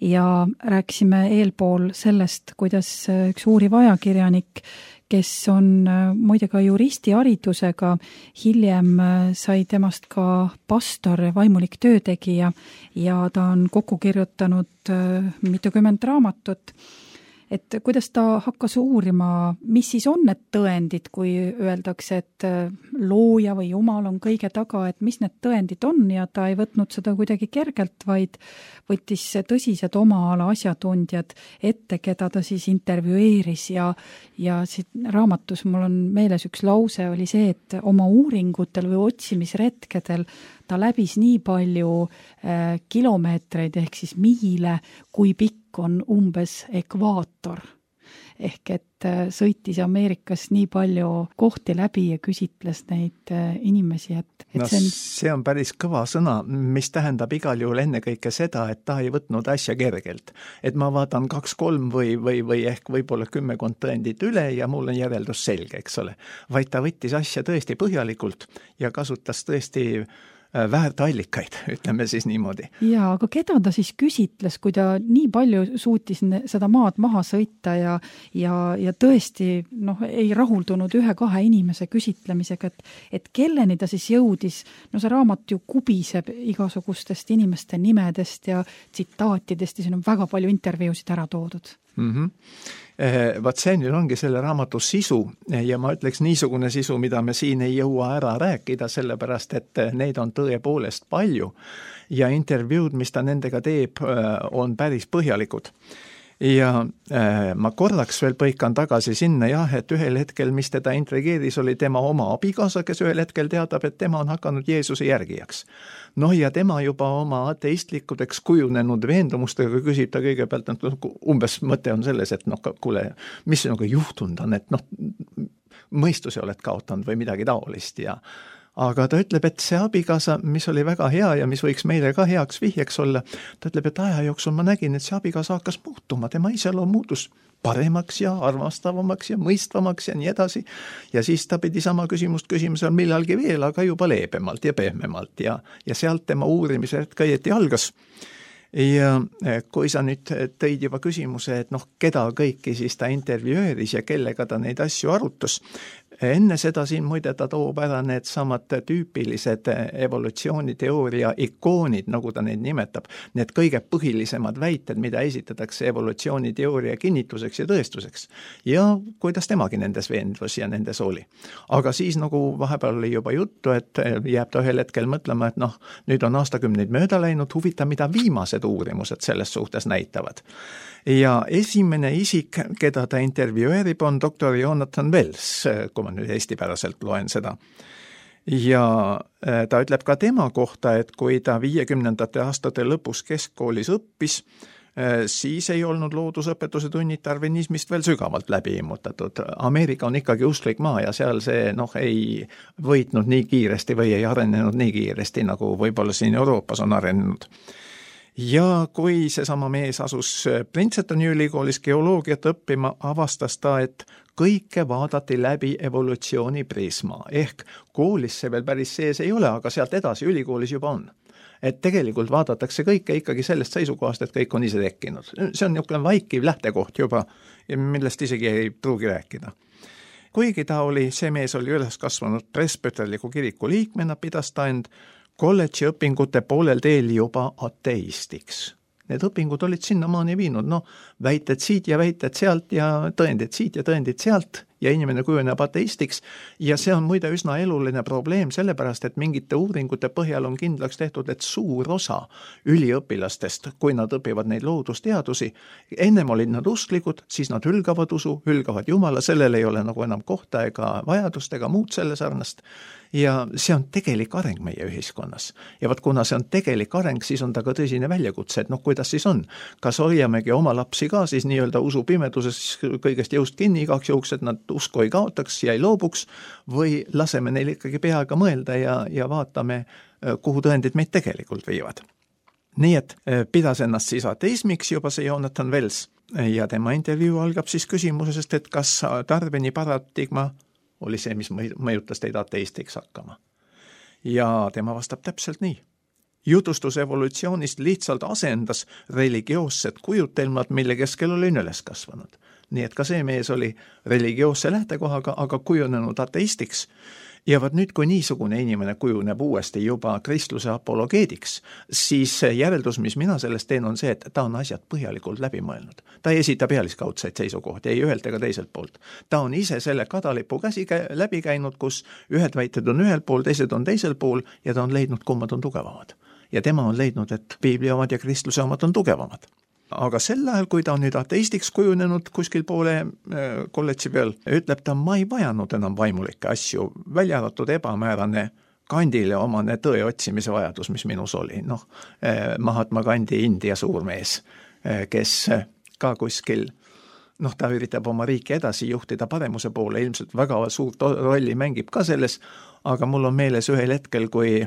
ja rääkisime eelpool sellest, kuidas üks uuriv ajakirjanik, kes on muide ka juristi haridusega, hiljem sai temast ka pastor, vaimulik töötegija ja ta on kokku kirjutanud mitukümmend raamatut. Et kuidas ta hakkas uurima, mis siis on need tõendid, kui öeldakse, et looja või Jumal on kõige taga, et mis need tõendid on ja ta ei võtnud seda kuidagi kergelt, vaid võttis tõsised oma ala asjatundjad ette, keda ta siis intervjueeris ja, ja siit raamatus mul on meeles üks lause oli see, et oma uuringutel või otsimisretkedel ta läbis nii palju äh, kilomeetreid ehk siis miile, kui pikk on umbes ekvaator. Ehk et äh, sõitis Ameerikas nii palju kohti läbi ja küsitles neid äh, inimesi. Et, et no, see, on... see on päris kõva sõna, mis tähendab igal juhul ennekõike seda, et ta ei võtnud asja kergelt. Et ma vaatan kaks-kolm või, või, või ehk võib-olla kümmekond tõendit üle ja mul on järeldus selge, eks ole. Vaid ta võttis asja tõesti põhjalikult ja kasutas tõesti väärt allikaid, ütleme siis niimoodi. Ja, aga keda ta siis küsitles, kui ta nii palju suutis seda maad maha sõita ja, ja, ja tõesti noh, ei rahuldunud ühe-kahe inimese küsitlemisega, et, et kelleni ta siis jõudis, no see raamat ju kubiseb igasugustest inimeste nimedest ja tsitaatidest ja siin on väga palju intervjuusid ära toodud. Mm-hmm. Vaat see nüüd ongi selle raamatu sisu ja ma ütleks niisugune sisu, mida me siin ei jõua ära rääkida, sellepärast et neid on tõepoolest palju ja intervjuud, mis ta nendega teeb, on päris põhjalikud. ja äh, ma korraks veel põikan tagasi sinna jah, et ühel hetkel, mis teda intrigeeris, oli tema oma abikaasa, kes ühel hetkel teadab, et tema on hakanud Jeesuse järgijaks. Noh, ja tema juba oma ateistlikudeks kujunenud veendumustega küsib ta kõigepealt, et umbes mõte on selles, et noh, kuule, mis sinuga juhtunud on, et noh, mõistuse oled kaotanud või midagi taolist ja aga ta ütleb, et see abikaasa, mis oli väga hea ja mis võiks meile ka heaks vihjeks olla, ta ütleb, et aja jooksul ma nägin, et see abikaasa hakkas muutuma, tema iseloom muutus paremaks ja armastavamaks ja mõistvamaks ja nii edasi. Ja siis ta pidi sama küsimust küsima seal millalgi veel, aga juba leebemalt ja pehmemalt ja, ja sealt tema uurimise hetk õieti algas. Ja kui sa nüüd tõid juba küsimuse, et noh, keda kõiki siis ta intervjueeris ja kellega ta neid asju arutas, enne seda siin muide ta toob ära need samad tüüpilised evolutsiooniteooria ikoonid, nagu ta neid nimetab, need kõige põhilisemad väited, mida esitatakse evolutsiooniteooria kinnituseks ja tõestuseks. Ja kuidas temagi nendes veendvus ja nendes oli. Aga siis nagu vahepeal oli juba juttu, et jääb ta ühel hetkel mõtlema, et noh, nüüd on aastakümneid mööda läinud, huvita, mida viimased uurimused selles suhtes näitavad. Ja esimene isik, keda ta intervjueerib, on doktor Jonathan Wells, kui ma nüüd eestipäraselt loen seda. Ja ta ütleb ka tema kohta, et kui ta viiekümnendate aastate lõpus keskkoolis õppis, siis ei olnud loodusõpetuse tunnid darwinismist veel sügavalt läbi immutatud. Ameerika on ikkagi usklik maa ja seal see noh, ei võitnud nii kiiresti või ei arenenud nii kiiresti, nagu võib-olla siin Euroopas on arenenud. Ja kui seesama mees asus Princetoni ülikoolis geoloogiat õppima, avastas ta, et kõike vaadati läbi evolutsiooni prisma. Ehk koolis see veel päris sees ei ole, aga sealt edasi ülikoolis juba on. Et tegelikult vaadatakse kõike ikkagi sellest seisukohast, et kõik on ise tekkinud. See on niisugune vaikiv lähtekoht juba, millest isegi ei pruugi rääkida. Kuigi ta oli, see mees oli üles kasvanud presbyterliku kiriku liikmena, pidas ta end kolledži õpingute poolel teel juba ateistiks. Need õpingud olid sinnamaani viinud, no väited siit ja väited sealt ja tõendid siit ja tõendid sealt ja inimene kujuneb ateistiks ja see on muide üsna eluline probleem, sellepärast et mingite uuringute põhjal on kindlaks tehtud, et suur osa üliõpilastest, kui nad õpivad neid loodusteadusi, ennem olid nad usklikud, siis nad hülgavad usu, hülgavad Jumala, sellel ei ole nagu enam kohta ega vajadust ega muud selle sarnast. Ja see on tegelik areng meie ühiskonnas. Ja vaat kuna see on tegelik areng, siis on ta ka tõsine väljakutse, et noh, kuidas siis on? Kas hoiamegi oma lapsi ka siis nii-öelda usu pimeduses kõigest jõust kinni igaks juhuks, et nad usku ei kaotaks ja ei loobuks või laseme neil ikkagi peaga mõelda ja, ja vaatame, kuhu tõendid meid tegelikult viivad. Nii et pidas ennast siis ateismiks juba see Jonathan Wells ja tema intervjuu algab siis küsimusest, et kas Darwini paradigma oli see, mis mõjutas teid ateistiks hakkama. Ja tema vastab täpselt nii. Jutustus evolutsioonist lihtsalt asendas religioossed kujutelmad, mille keskel olin üles kasvanud. Nii et ka see mees oli religioosse lähtekohaga, aga kujunenud ateistiks. Ja vaat nüüd, kui niisugune inimene kujuneb uuesti juba kristluse apologeediks, siis järeldus, mis mina sellest teen, on see, et ta on asjad põhjalikult läbi mõelnud. Ta ei esita pealiskaudseid seisukohti, ei ühelt ega teiselt poolt. Ta on ise selle kadalipu käsi läbi käinud, kus ühed väited on ühel pool, teised on teisel pool ja ta on leidnud, kummad on tugevamad. Ja tema on leidnud, et piibli omad ja kristluse omad on tugevamad. Aga sel ajal, kui ta on nüüd ateistiks kujunenud kuskil poole kolledži peal, ütleb ta, ma ei vajanud enam vaimulikke asju, välja arvatud ebamäärane Gandhile omane tõe otsimise vajadus, mis minus oli. Noh, Mahatma Gandhi India suurmees, kes ka kuskil, noh, ta üritab oma riiki edasi juhtida paremuse poole, ilmselt väga suurt rolli mängib ka selles, aga mul on meeles ühel hetkel, kui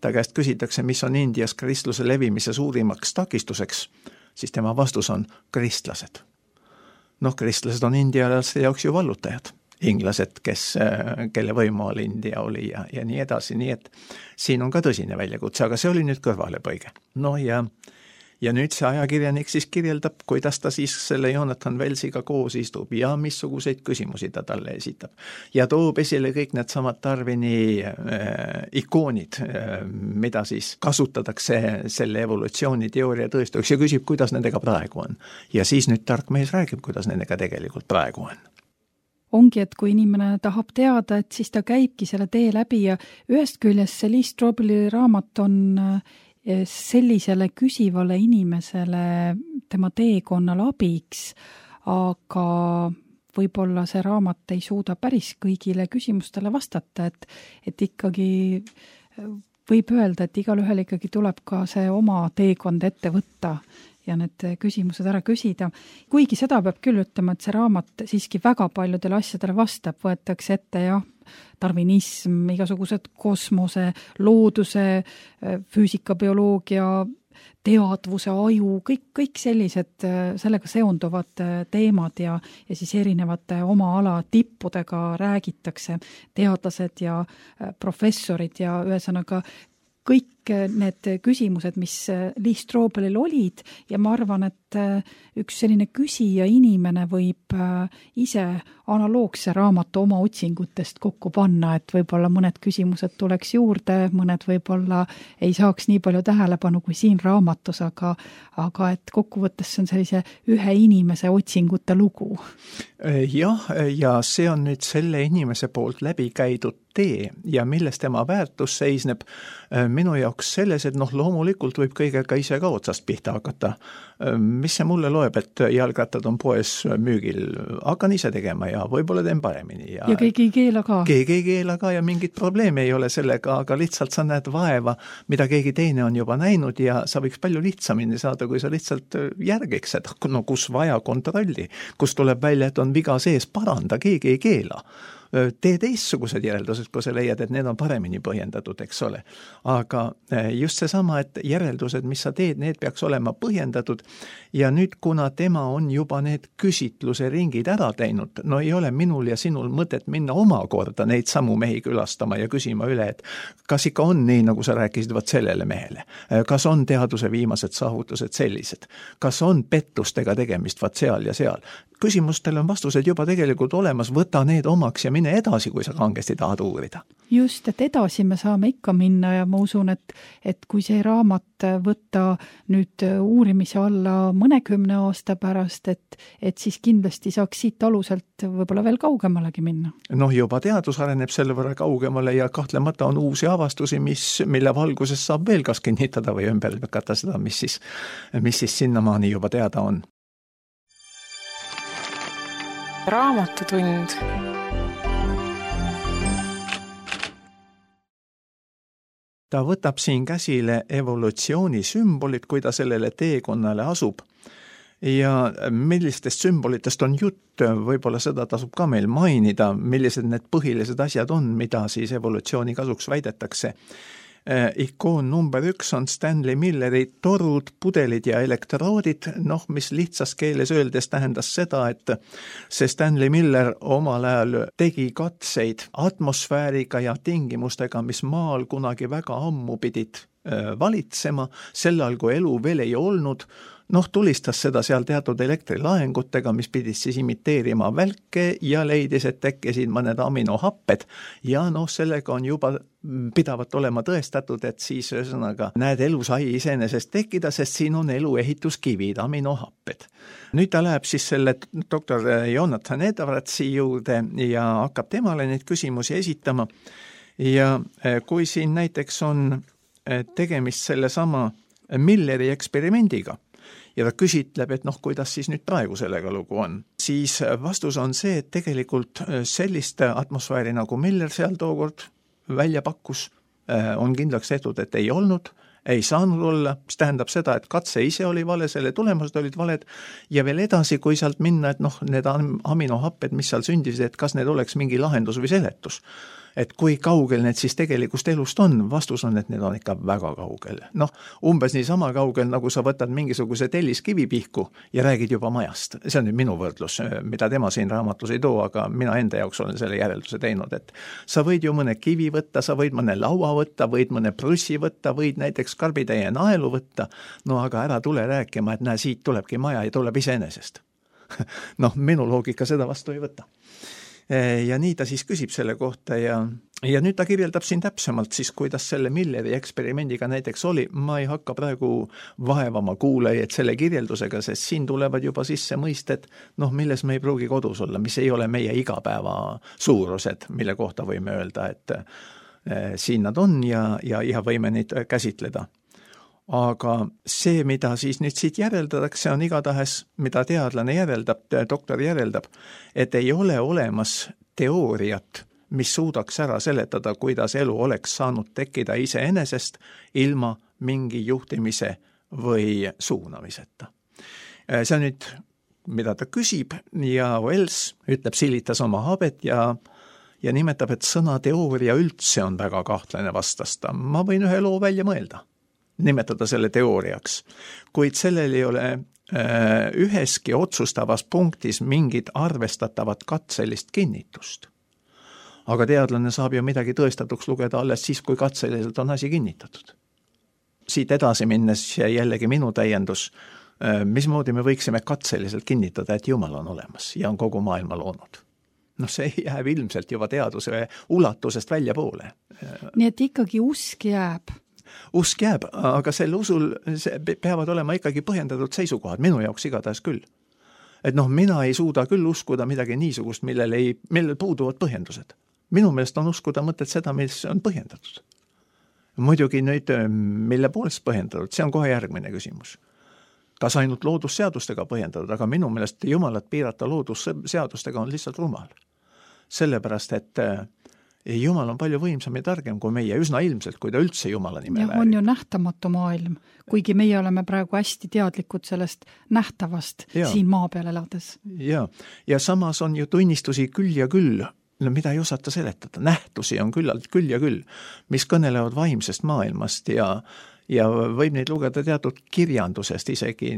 ta käest küsitakse, mis on Indias kristluse levimise suurimaks takistuseks, siis tema vastus on kristlased. Noh, kristlased on indialaste jaoks ju vallutajad. Inglased, kes, kelle võimual India oli ja, ja nii edasi. Nii et siin on ka tõsine väljakutse, aga see oli nüüd kõrvalepõige. No ja, ja nüüd see ajakirjanik siis kirjeldab, kuidas ta siis selle Jonathan Wellsiga koos istub ja missuguseid küsimusi ta talle esitab. Ja toob esile kõik need samad Darwini äh, ikoonid, äh, mida siis kasutatakse selle evolutsiooniteooria tõestuseks ja küsib, kuidas nendega praegu on. Ja siis nüüd tark mees räägib, kuidas nendega tegelikult praegu on. Ongi, et kui inimene tahab teada, et siis ta käibki selle tee läbi ja ühest küljest see Lee Strobeli raamat on sellisele küsivale inimesele tema teekonnal abiks, aga võib-olla see raamat ei suuda päris kõigile küsimustele vastata, et, et ikkagi võib öelda, et igal ühel ikkagi tuleb ka see oma teekond ette võtta ja need küsimused ära küsida. Kuigi seda peab küll ütlema, et see raamat siiski väga paljudele asjadele vastab, võetakse ette jah, darwinism, igasugused kosmose, looduse, füüsika, bioloogia, teadvuse, aju, kõik, kõik sellised sellega seonduvad teemad ja, ja siis erinevate oma ala tippudega räägitakse, teadlased ja professorid ja ühesõnaga kõik need küsimused, mis Lee Strobelil olid ja ma arvan, et üks selline küsija inimene võib ise analoogse raamatu oma otsingutest kokku panna, et võib-olla mõned küsimused tuleks juurde, mõned võib-olla ei saaks nii palju tähelepanu kui siin raamatus, aga, aga et kokkuvõttes see on sellise ühe inimese otsingute lugu. Jah, ja see on nüüd selle inimese poolt läbi käidud tee ja milles tema väärtus seisneb minu jaoks selles, et noh, loomulikult võib kõigega ise ka otsast pihta hakata. Mis see mulle loeb, et jalgrattad on poes müügil, hakkan ise tegema ja võib-olla teen paremini. Ja, ja keegi ei keela ka. Keegi ei keela ka ja mingit probleemi ei ole sellega, aga lihtsalt sa näed vaeva, mida keegi teine on juba näinud ja sa võiks palju lihtsamini saada, kui sa lihtsalt järgiks, et no kus vaja kontrolli, kus tuleb välja, et on viga sees, paranda, keegi ei keela. Tee teistsugused järeldused, kui sa leiad, et need on paremini põhjendatud, eks ole. Aga just seesama, et järeldused, mis sa teed, need peaks olema põhjendatud ja nüüd, kuna tema on juba need küsitluse ringid ära teinud, no ei ole minul ja sinul mõtet minna omakorda neid samu mehi külastama ja küsima üle, et kas ikka on nii, nagu sa rääkisid vaat sellele mehele, kas on teaduse viimased saavutused sellised, kas on pettustega tegemist vaat seal ja seal. Küsimustel on vastused juba tegelikult olemas, võta need omaks ja mine edasi, kui sa kangesti tahad uurida. Just, et edasi me saame ikka minna ja ma usun, et, et kui see raamat võtta nüüd uurimise alla mõnekümne aasta pärast, et, et siis kindlasti saaks siit aluselt võib-olla veel kaugemalegi minna. Noh, juba teadus areneb selle võrra kaugemale ja kahtlemata on uusi avastusi, mis, mille valguses saab veel kas kinnitada või ümber lükata seda, mis siis, mis siis sinnamaani juba teada on. Raamatutund. Ta võtab siin käsile evolutsiooni sümbolid, kui ta sellele teekonnale asub. Ja millistest sümbolitest on jutt, võib-olla seda tasub ka meil mainida, millised need põhilised asjad on, mida siis evolutsiooni kasuks väidetakse. Ikoon number üks on Stanley Milleri torud, pudelid ja elektroodid, noh, mis lihtsas keeles öeldes tähendas seda, et see Stanley Miller omal ajal tegi katseid atmosfääriga ja tingimustega, mis maal kunagi väga ammu pidid valitsema, sel ajal kui elu veel ei olnud, noh, tulistas seda seal teatud elektrilaengutega, mis pidid siis imiteerima välke ja leidis, et tekkisid mõned aminohapped ja noh, sellega on juba pidavat olema tõestatud, et siis ühesõnaga näed, elu sai iseenesest tekkida, sest siin on elu ehituskivid, aminohapped. Nüüd ta läheb siis selle doktor Jonathan Edwardsi juurde ja hakkab temale neid küsimusi esitama ja kui siin näiteks on tegemist selle sama Milleri eksperimendiga, ja ta küsitleb, et noh, kuidas siis nüüd praegu sellega lugu on. Siis vastus on see, et tegelikult sellist atmosfääri nagu Miller seal tookord välja pakkus, on kindlaks tehtud, et ei olnud, ei saanud olla, mis tähendab seda, et katse ise oli vale, selle tulemused olid valed ja veel edasi, kui sealt minna, et noh, need aminohapped, mis seal sündisid, et kas need oleks mingi lahendus või seletus. Et kui kaugel need siis tegelikust elust on, vastus on, et need on ikka väga kaugel. Noh, umbes nii sama kaugel, nagu sa võtad mingisuguse telliskivi pihku ja räägid juba majast. See on nüüd minu võrdlus, mida tema siin raamatus ei too, aga mina enda jaoks olen selle järelduse teinud, et sa võid ju mõne kivi võtta, sa võid mõne laua võtta, võid mõne prussi võtta, võid näiteks karbitäie naelu võtta, no aga ära tule rääkima, et näe, siit tulebki maja ja tuleb iseenesest. Noh, minu loogika seda vastu ei võta. Ja nii ta siis küsib selle kohta ja, ja nüüd ta kirjeldab siin täpsemalt siis, kuidas selle Milleri eksperimendiga näiteks oli. Ma ei hakka praegu vaevama kuulajaid selle kirjeldusega, sest siin tulevad juba sisse mõisted, noh, milles me ei pruugi kodus olla, mis ei ole meie igapäeva suurused, mille kohta võime öelda, et eh, siin nad on ja, ja, ja võime neid käsitleda. aga see, mida siis nüüd siit järeldatakse, on igatahes, mida teadlane järeldab, doktor järeldab, et ei ole olemas teooriat, mis suudaks ära seletada, kuidas elu oleks saanud tekkida iseenesest ilma mingi juhtimise või suunamiseta. See on nüüd, mida ta küsib, ja Wells ütleb, silitas oma habet ja ja nimetab, et sõna teooria üldse on väga kahtlane vastasta. Ma võin ühe loo välja mõelda, nimetada selle teooriaks, kuid sellel ei ole äh, üheski otsustavas punktis mingit arvestatavat katselist kinnitust. Aga teadlane saab ju midagi tõestatuks lugeda alles siis, kui katseliselt on asi kinnitatud. Siit edasi minnes jällegi minu täiendus, äh, mismoodi me võiksime katseliselt kinnitada, et Jumal on olemas ja on kogu maailma loonud. No see jääb ilmselt juba teaduse ulatusest välja poole. Nii et ikkagi usk jääb. Usk jääb, aga sel usul see peavad olema ikkagi põhjendatud seisukohad, minu jaoks igatahes küll. Et noh, mina ei suuda küll uskuda midagi niisugust, millel, ei, millel puuduvad põhjendused. Minu meelest on uskuda mõtet seda, mis on põhjendatud. Muidugi nüüd, mille poolest põhjendatud, see on kohe järgmine küsimus. Kas ainult loodusseadustega põhjendatud, aga minu meelest Jumalat piirata loodusseadustega on lihtsalt rumal. Sellepärast, et Jumal on palju võimsam ja targem kui meie, üsna ilmselt, kui ta üldse Jumala nime ja, väärib. On ju nähtamatu maailm, kuigi meie oleme praegu hästi teadlikud sellest nähtavast ja. Siin maa peal elades. Ja. ja samas on ju tunnistusi küll ja küll, no mida ei osata seletada, nähtusi on küllalt küll ja küll, mis kõnelevad vaimsest maailmast ja ja võib neid lugeda teatud kirjandusest isegi,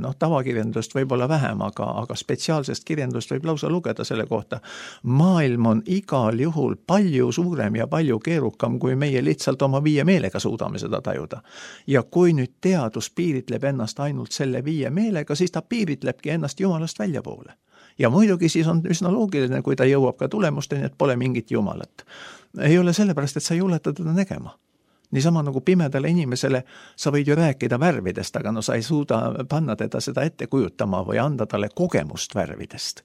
noh, tavakirjandust võib olla vähem, aga, aga spetsiaalsest kirjandust võib lausa lugeda selle kohta. Maailm on igal juhul palju suurem ja palju keerukam, kui meie lihtsalt oma viie meelega suudame seda tajuda. Ja kui nüüd teadus piiritleb ennast ainult selle viie meelega, siis ta piiritlebki ennast Jumalast välja poole. Ja muidugi siis on üsna loogiline, kui ta jõuab ka tulemusteni, et pole mingit Jumalat. Ei ole sellepärast, et sa ei juleta teda nägema. Niisama nagu pimedale inimesele sa võid ju rääkida värvidest, aga no sa ei suuda panna teda seda ette kujutama või anda talle kogemust värvidest.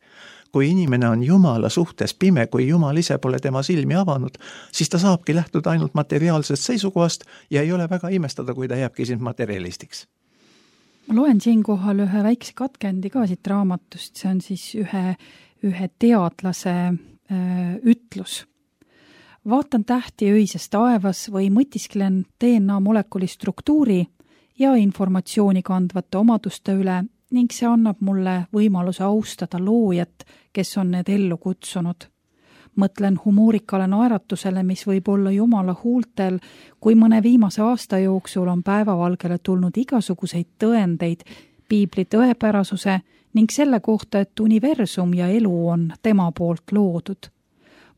Kui inimene on Jumala suhtes pime, kui Jumal ise pole tema silmi avanud, siis ta saabki lähtuda ainult materiaalsest seisukohast ja ei ole väga imestada, kui ta jääbki siin materialistiks. Ma loen siinkohal ühe väikse katkendi ka siit raamatust, see on siis ühe, ühe teadlase öö, ütlus. Vaatan tähti öises taevas või mõtisklen D N A molekuli struktuuri ja informatsiooni kandvate omaduste üle ning see annab mulle võimaluse austada loojat, kes on need ellu kutsunud. Mõtlen humoorikale naeratusele, mis võib olla Jumala huultel, kui mõne viimase aasta jooksul on päevavalgele tulnud igasuguseid tõendeid piibli tõepärasuse ning selle kohta, et universum ja elu on tema poolt loodud.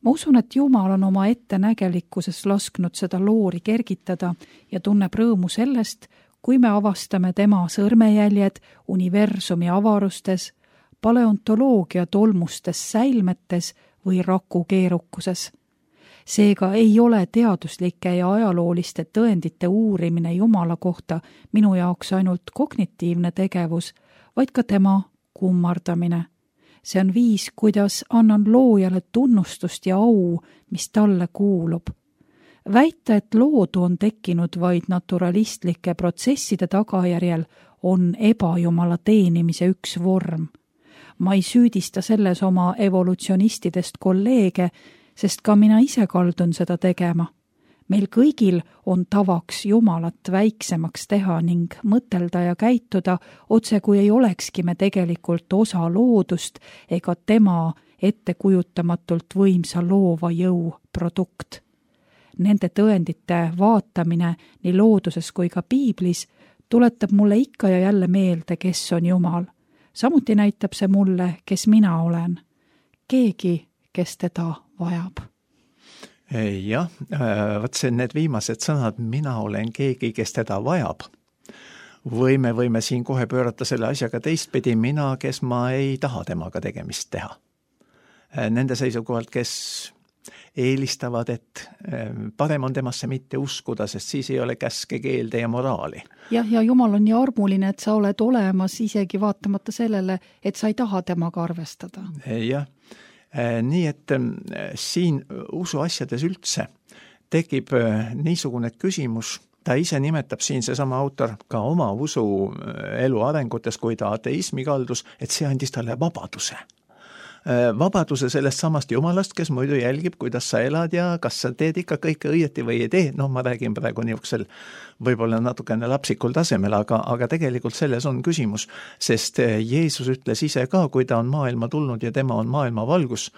Ma usun, et Jumal on oma ettenägelikkuses lasknud seda loori kergitada ja tunneb rõõmu sellest, kui me avastame tema sõrmejäljed universumi avarustes, paleontoloogia tolmustes säilmetes või raku keerukuses. Seega ei ole teaduslike ja ajalooliste tõendite uurimine Jumala kohta minu jaoks ainult kognitiivne tegevus, vaid ka tema kummardamine. See on viis, kuidas annan loojale tunnustust ja au, mis talle kuulub. Väita, et loodu on tekkinud vaid naturalistlike protsesside tagajärjel, on ebajumala teenimise üks vorm. Ma ei süüdista selles oma evolutsionistidest kolleege, sest ka mina ise kaldun seda tegema. Meil kõigil on tavaks Jumalat väiksemaks teha ning mõtelda ja käituda, otse kui ei olekski me tegelikult osa loodust ega tema ettekujutamatult võimsa loova jõu produkt. Nende tõendite vaatamine nii looduses kui ka piiblis tuletab mulle ikka ja jälle meelde, kes on Jumal. Samuti näitab see mulle, kes mina olen. Keegi, kes teda vajab. Jah, võt see need viimased sõnad, mina olen keegi, kes teda vajab. Või me võime siin kohe pöörata selle asjaga teistpidi, mina, kes ma ei taha temaga tegemist teha. Nende seisukohalt, kes eelistavad, et parem on temasse mitte uskuda, sest siis ei ole käske, keelde ja moraali. Jah, ja Jumal on nii armuline, et sa oled olemas isegi vaatamata sellele, et sa ei taha temaga arvestada. Jah. Nii et siin usu asjades üldse tekib niisugune küsimus, ta ise nimetab siin seesama autor ka oma usu elu arengutes, kui ta ateismi kaldus, et see andis talle vabaduse. Vabaduse sellest samast jumalast, kes muidu jälgib, kuidas sa elad ja kas sa teed ikka kõike õieti või ei tee. No ma räägin praegu niisugusel võib-olla natukene lapsikul tasemel, aga, aga tegelikult selles on küsimus, sest Jeesus ütles ise ka, kui ta on maailma tulnud ja tema on maailma valgus,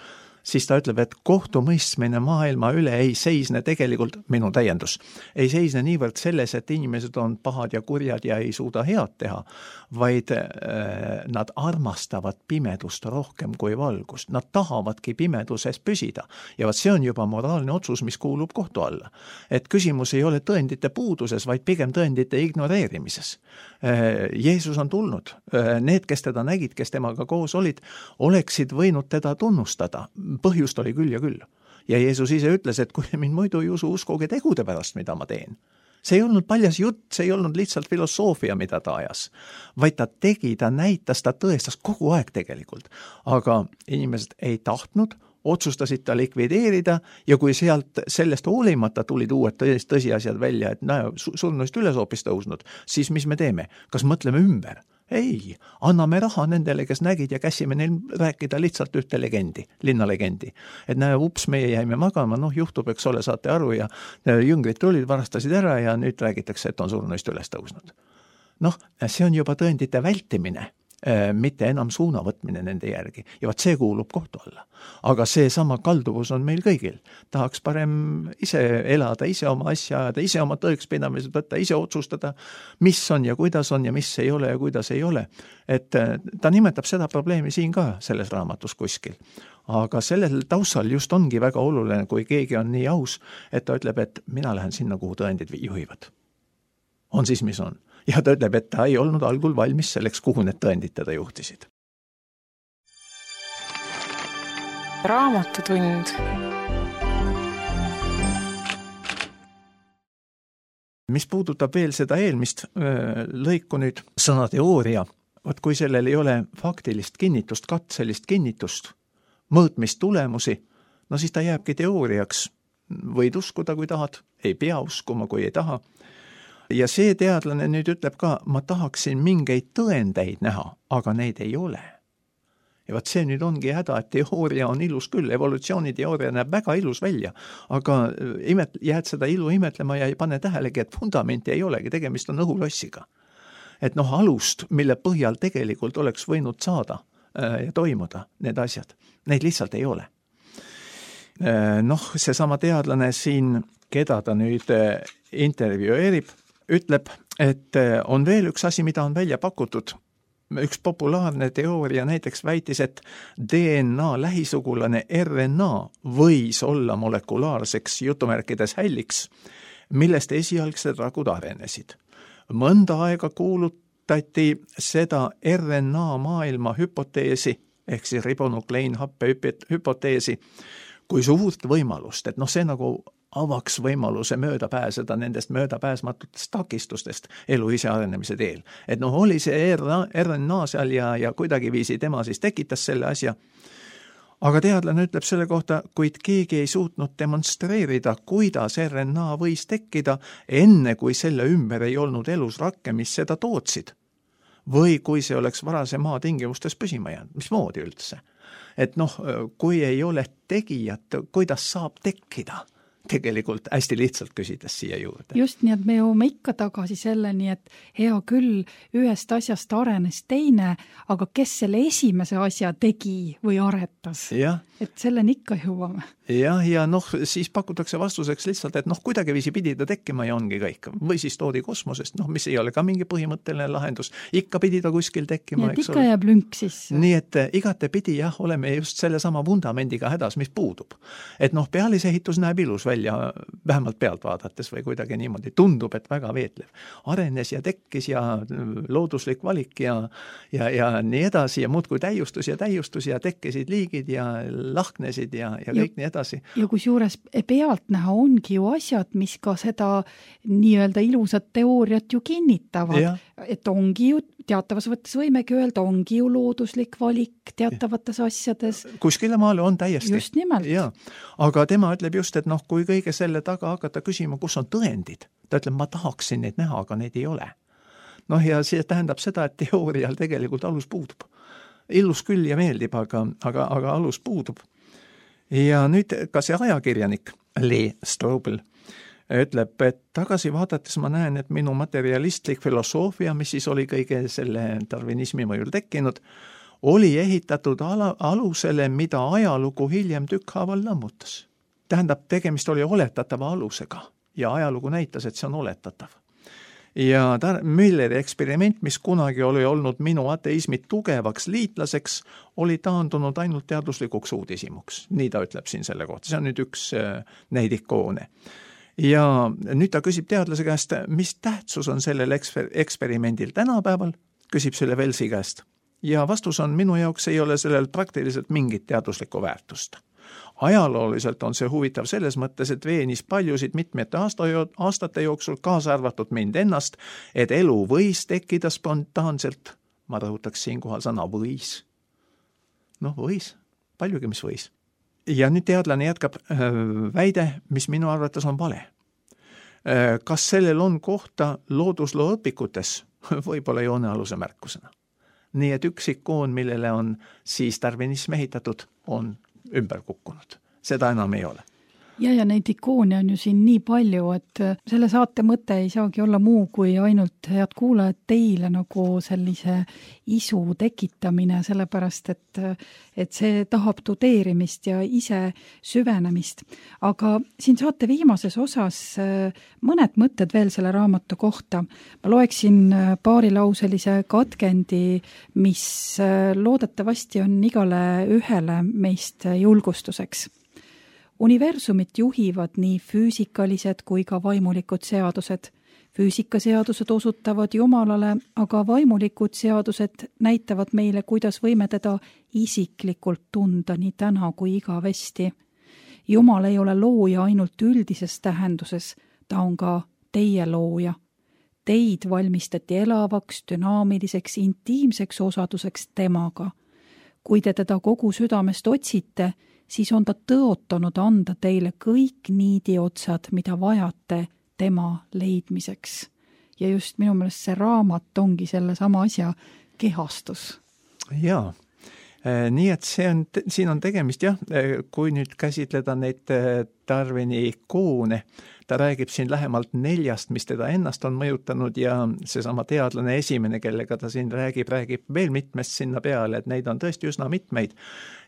siis ta ütleb, et kohtumõistmine maailma üle ei seisne tegelikult, minu täiendus, ei seisne niivõrd selles, et inimesed on pahad ja kurjad ja ei suuda head teha, vaid äh, nad armastavad pimedust rohkem kui valgust. Nad tahavadki pimeduses püsida ja vaat see on juba moraalne otsus, mis kuulub kohtu alla. Et küsimus ei ole tõendite puuduses, vaid pigem tõendite ignoreerimises. Äh, Jeesus on tulnud. Äh, need, kes teda nägid, kes temaga koos olid, oleksid võinud teda tunnustada. Põhjust oli küll ja küll. Ja Jeesus ise ütles, et kui mind muidu ei usu, uskuge tegude pärast, mida ma teen. See ei olnud paljas jutt, see ei olnud lihtsalt filosoofia, mida ta ajas. Vaid ta tegi, ta näitas, ta tõestas kogu aeg tegelikult. Aga inimesed ei tahtnud, otsustasid ta likvideerida ja kui sealt sellest hoolimata tulid uued tõsiasjad välja, et näe, surnuist üles hoopis tõusnud, siis mis me teeme? Kas mõtleme ümber? Ei, anname raha nendele, kes nägid ja käsime neil rääkida lihtsalt ühte legendi, linnalegendi. Et näe, ups, meie jäime magama, noh juhtub, eks ole, saate aru ja jüngrid tulid, varastasid ära ja nüüd räägitakse, et on surnuist üles tõusnud. Noh, see on juba tõendite vältimine, mitte enam suuna võtmine nende järgi. Ja vaat see kuulub kohtu alla. Aga see sama kalduvus on meil kõigil. Tahaks parem ise elada, ise oma asja ajada, ise oma tõekspidamised võtta, ise otsustada, mis on ja kuidas on ja mis ei ole ja kuidas ei ole. Et ta nimetab seda probleemi siin ka selles raamatus kuskil. Aga sellel taustal just ongi väga oluline, kui keegi on nii aus, et ta ütleb, et mina lähen sinna, kuhu tõendid juhivad. On siis, mis on. Ja ta ütleb, et ta ei olnud algul valmis selleks, kuhu need tõendid teda juhtisid. Raamatutund. Mis puudutab veel seda eelmist lõiku nüüd sõna teooria, vaat kui sellel ei ole faktilist kinnitust, katselist kinnitust, mõõtmist tulemusi, no siis ta jääbki teooriaks. Võid uskuda, kui tahad, ei pea uskuma, kui ei taha. Ja see teadlane nüüd ütleb ka, ma tahaksin mingeid tõendeid näha, aga neid ei ole. Ja vaat see nüüd ongi häda, et teooria on ilus küll, evolutsiooniteooria näeb väga ilus välja, aga imet, jääd seda ilu imetlema ja ei pane tähelegi, et fundamenti ei olegi, tegemist on õhulossiga. Et noh, alust, mille põhjal tegelikult oleks võinud saada ja toimuda need asjad, neid lihtsalt ei ole. Noh, see sama teadlane siin, keda ta nüüd intervjueerib, ütleb, et on veel üks asi, mida on välja pakutud. Üks populaarne teooria näiteks väitis, et D N A lähisugulane R N A võis olla molekulaarseks jutumärkides hälliks, millest esialgsed ragud arenesid. Mõnda aega kuulutati seda R N A maailma hüpoteesi, ehk siis ribonukleinhappe hüpoteesi, kui suurt võimalust, et noh, see nagu avaks võimaluse mööda pääseda nendest möödapääsmatutest takistustest elu ise arenemise teel. Et noh, oli see R N A seal ja, ja kuidagi viisi tema siis tekitas selle asja. Aga teadlane ütleb selle kohta, kuid keegi ei suutnud demonstreerida, kuidas R N A võis tekkida enne, kui selle ümber ei olnud elus rakke, mis seda tootsid. Või kui see oleks varase maa tingimustes püsima jäänud, mismoodi üldse? Et noh, kui ei ole tegijat, kuidas saab tekkida? Tegelikult hästi lihtsalt küsides siia juurde. Just nii, et me jõuame ikka tagasi selleni, et hea küll, ühest asjast arenes teine, aga kes selle esimese asja tegi või aretas? Ja. Et selleni ikka jõuame. Ja, ja noh, siis pakutakse vastuseks lihtsalt, et noh, kuidagi viisi pidi ta tekkima ja ongi kõik. Või siis toodi kosmosest, noh, mis ei ole ka mingi põhimõtteline lahendus. Ikka pidi ta kuskil tekkima. Nii, et ikka jääb lünk sisse. Nii, et igate pidi jah, oleme just selle sama vundamendiga hädas, mis puudub. Et noh, pealisehitus näeb ilus välja, vähemalt pealt vaadates või kuidagi niimoodi. Tundub, et väga veetlev. Arenes ja tekkis ja looduslik valik ja, ja, ja nii edasi ja muudkui täiustus ja täiustus ja tekkisid liigid ja lahknesid ja, ja kõik ja, nii edasi. Ja kus juures pealt näha ongi ju asjad, mis ka seda nii-öelda ilusat teooriat ju kinnitavad. Ja. Et ongi ju teatavas võttes võimegi öelda, ongi ju looduslik valik teatavates asjades. Kuskile maale on täiesti. Just nimelt. Ja. Aga tema ütleb just, et noh, kui kõige selle taga hakata küsima, kus on tõendid, ta ütleb, ma tahaksin neid näha, aga neid ei ole. Noh, ja see tähendab seda, et teoorial tegelikult alus puudub. Illus küll ja meeldib, aga, aga, aga alus puudub. Ja nüüd ka see ajakirjanik Lee Strobel ütleb, et tagasi vaadates ma näen, et minu materialistlik filosoofia, mis siis oli kõige selle darwinismi mõjul tekkinud, oli ehitatud ala, alusele, mida ajalugu hiljem tükkhaaval lammutas. Tähendab, tegemist oli oletatava alusega ja ajalugu näitas, et see on oletatav. Ja Mülleri eksperiment, mis kunagi oli olnud minu ateismi tugevaks liitlaseks, oli taandunud ainult teaduslikuks uudisimuks. Nii ta ütleb siin selle kohta. See on nüüd üks neid ikoone. Ja nüüd ta küsib teadlase käest, mis tähtsus on sellel eksper- eksperimendil tänapäeval, küsib selle Velsi käest. Ja vastus on, minu jaoks ei ole sellel praktiliselt mingit teaduslikku väärtust. Ajalooliselt on see huvitav selles mõttes, et veenis paljusid mitmete aasta, aastate jooksul, kaasa arvatud mind ennast, et elu võis tekkida spontaanselt. Ma rõhutaks siinkohal sõna võis. Noh, võis. Paljugi, mis võis. Ja nüüd teadlane jätkab väide, mis minu arvates on vale. Kas sellel on kohta loodusloo õpikutes? Võib-olla joonealuse märkusena. Nii et üks ikoon, millele on siis darwinism ehitatud, on ümber kukkunud. Seda enam ei ole. Ja, ja neid ikoone on ju siin nii palju, et selle saate mõte ei saagi olla muu kui ainult head kuulajad teile nagu sellise isu tekitamine, sellepärast, et, et see tahab tudeerimist ja ise süvenemist. Aga siin saate viimases osas mõned mõtted veel selle raamatu kohta. Ma loeksin paarilauselise katkendi, mis loodetavasti on igale ühele meist julgustuseks. Universumit juhivad nii füüsikalised kui ka vaimulikud seadused. Füüsikaseadused osutavad Jumalale, aga vaimulikud seadused näitavad meile, kuidas võime teda isiklikult tunda nii täna kui igavesti. Jumal ei ole looja ainult üldises tähenduses, ta on ka teie looja. Teid valmistati elavaks, dünaamiliseks, intiimseks osaduseks temaga. Kui te teda kogu südamest otsite, siis on ta tõotanud anda teile kõik niidiotsad, mida vajate tema leidmiseks. Ja just minu meelest see raamat ongi selle sama asja kehastus. Jaa, nii et see on, siin on tegemist, jah, kui nüüd käsitleda neid Darwini ikoone, ta räägib siin lähemalt neljast, mis teda ennast on mõjutanud ja seesama teadlane esimene, kellega ta siin räägib, räägib veel mitmest sinna peale, et neid on tõesti üsna mitmeid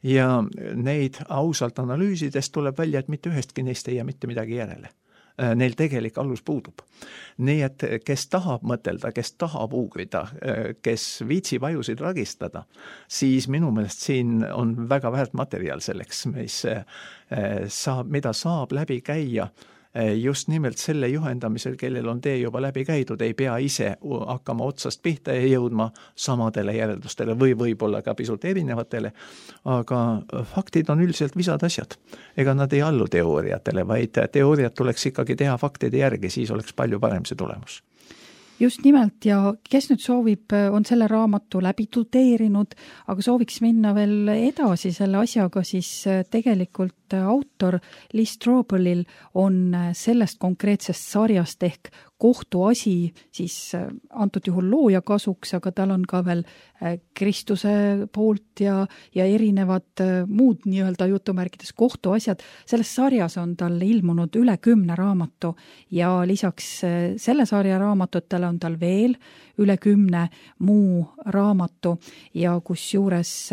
ja neid ausalt analüüsidest tuleb välja, et mitte ühestki neist ei jää mitte midagi järele. Neil tegelik alus puudub. Nii et kes tahab mõtelda, kes tahab uurida, kes viitsib ajusid ragistada, siis minu meelest siin on väga väärt materjal selleks, mis saab, mida saab läbi käia just nimelt selle juhendamisel, kellel on tee juba läbi käidud, ei pea ise hakkama otsast pihta ja jõudma samadele järeldustele või võib-olla ka pisut erinevatele, aga faktid on üldiselt visad asjad. Ega nad ei allu teooriatele, vaid teooriat tuleks ikkagi teha faktide järgi, siis oleks palju parem see tulemus. Just nimelt ja kes nüüd soovib, on selle raamatu läbi tudeerinud, aga sooviks minna veel edasi selle asjaga, siis tegelikult autor Lee Strobelil on sellest konkreetsest sarjast ehk kohtuasi siis antud juhul looja kasuks, aga tal on ka veel Kristuse poolt ja, ja erinevad muud nii-öelda jutumärkides kohtuasjad. Selles sarjas on tal ilmunud üle kümne raamatu ja lisaks selle sarja raamatutele on tal veel üle kümne muu raamatu ja kus juures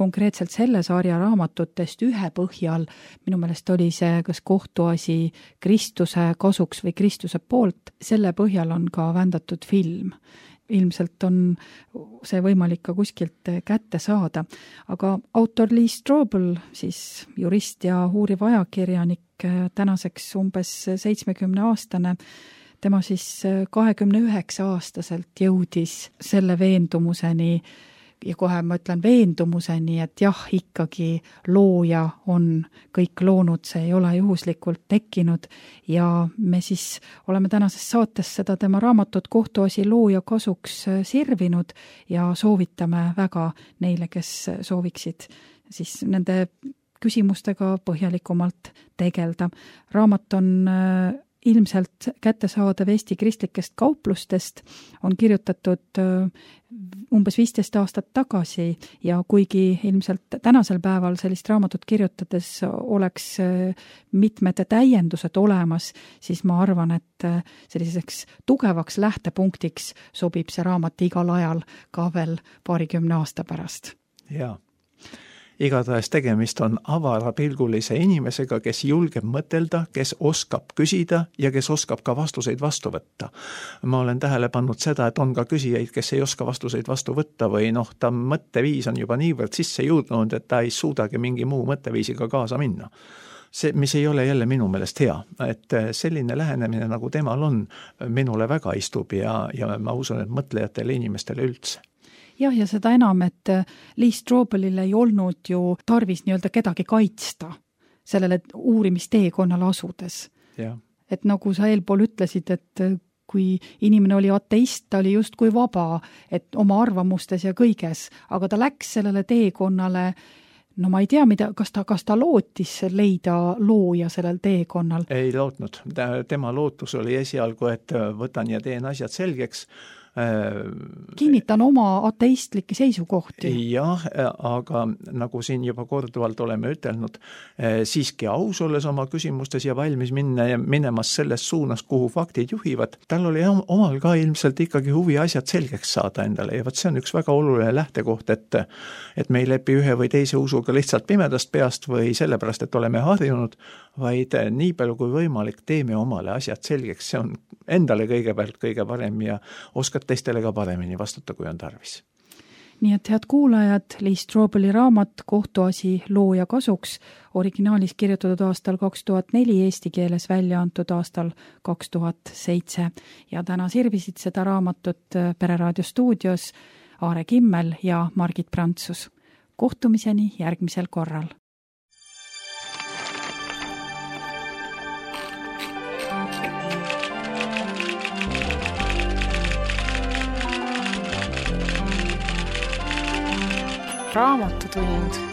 konkreetselt selle sarja raamatutest ühe põhjal, minu meelest oli see kas kohtuasi Kristuse kasuks või Kristuse poolt, selle põhjal on ka vändatud film. Ilmselt on see võimalik ka kuskilt kätte saada. Aga autor Lee Strobel, siis jurist ja uuriv ajakirjanik, tänaseks umbes seitsmekümne aastane, tema siis kahekümne üheksa aastaselt jõudis selle veendumuseni, ja kohe ma ütlen veendumuseni, et jah, ikkagi looja on kõik loonud, see ei ole juhuslikult tekkinud ja me siis oleme tänases saates seda tema raamatut Kohtuasi looja kasuks sirvinud ja soovitame väga neile, kes sooviksid siis nende küsimustega põhjalikumalt tegelda. Raamat on ilmselt kättesaadav Eesti kristlikest kauplustest, on kirjutatud umbes viisteist aastat tagasi ja kuigi ilmselt tänasel päeval sellist raamatut kirjutades oleks mitmed täiendused olemas, siis ma arvan, et selliseks tugevaks lähtepunktiks sobib see raamat igal ajal ka veel paarikümne aasta pärast. Jaa. Igatahes tegemist on avarapilgulise inimesega, kes julgeb mõtelda, kes oskab küsida ja kes oskab ka vastuseid vastu võtta. Ma olen tähele pannud seda, et on ka küsijaid, kes ei oska vastuseid vastu võtta või noh, ta mõtteviis on juba niivõrd sisse jõudnud, et ta ei suudagi mingi muu mõtteviisiga kaasa minna. See, mis ei ole jälle minu meelest hea, et selline lähenemine, nagu temal on, minule väga istub ja, ja ma usun, et mõtlejatele inimestele üldse. Jah, ja seda enam, et Lee Strobelil ei olnud ju tarvis nii-öelda kedagi kaitsta sellele uurimisteekonnale asudes. Ja. Et nagu sa eelpool ütlesid, et kui inimene oli ateist, ta oli just kui vaba, et oma arvamustes ja kõiges, aga ta läks sellele teekonnale, no ma ei tea, mida, kas ta, kas ta lootis leida looja sellel teekonnal? Ei lootnud. Tema lootus oli esialgu, et võtan ja teen asjad selgeks. Kinnitan oma ateistlikke seisukohti. Jah, aga nagu siin juba korduvalt oleme ütelnud, siiski aus olles oma küsimustes ja valmis minna ja minemas selles suunas, kuhu faktid juhivad. Tal oli omal ka ilmselt ikkagi huvi asjad selgeks saada endale ja võt see on üks väga oluline lähtekoht, et, et me ei lepi ühe või teise usuga lihtsalt pimedast peast või sellepärast, et oleme harjunud, vaid nii palju kui võimalik teeme omale asjad selgeks. See on endale kõigepealt kõige parem ja oskad teistele ka paremini vastata, kui on tarvis. Nii et head kuulajad, Lee Strobeli raamat Kohtuasi looja kasuks, originaalis kirjutatud aastal kaks tuhat neli, eesti keeles välja antud aastal kaks tuhat seitse ja täna sirvisid seda raamatut Pereraadio stuudios Aare Kimmel ja Margit Prantsus. Kohtumiseni järgmisel korral. Raamatutund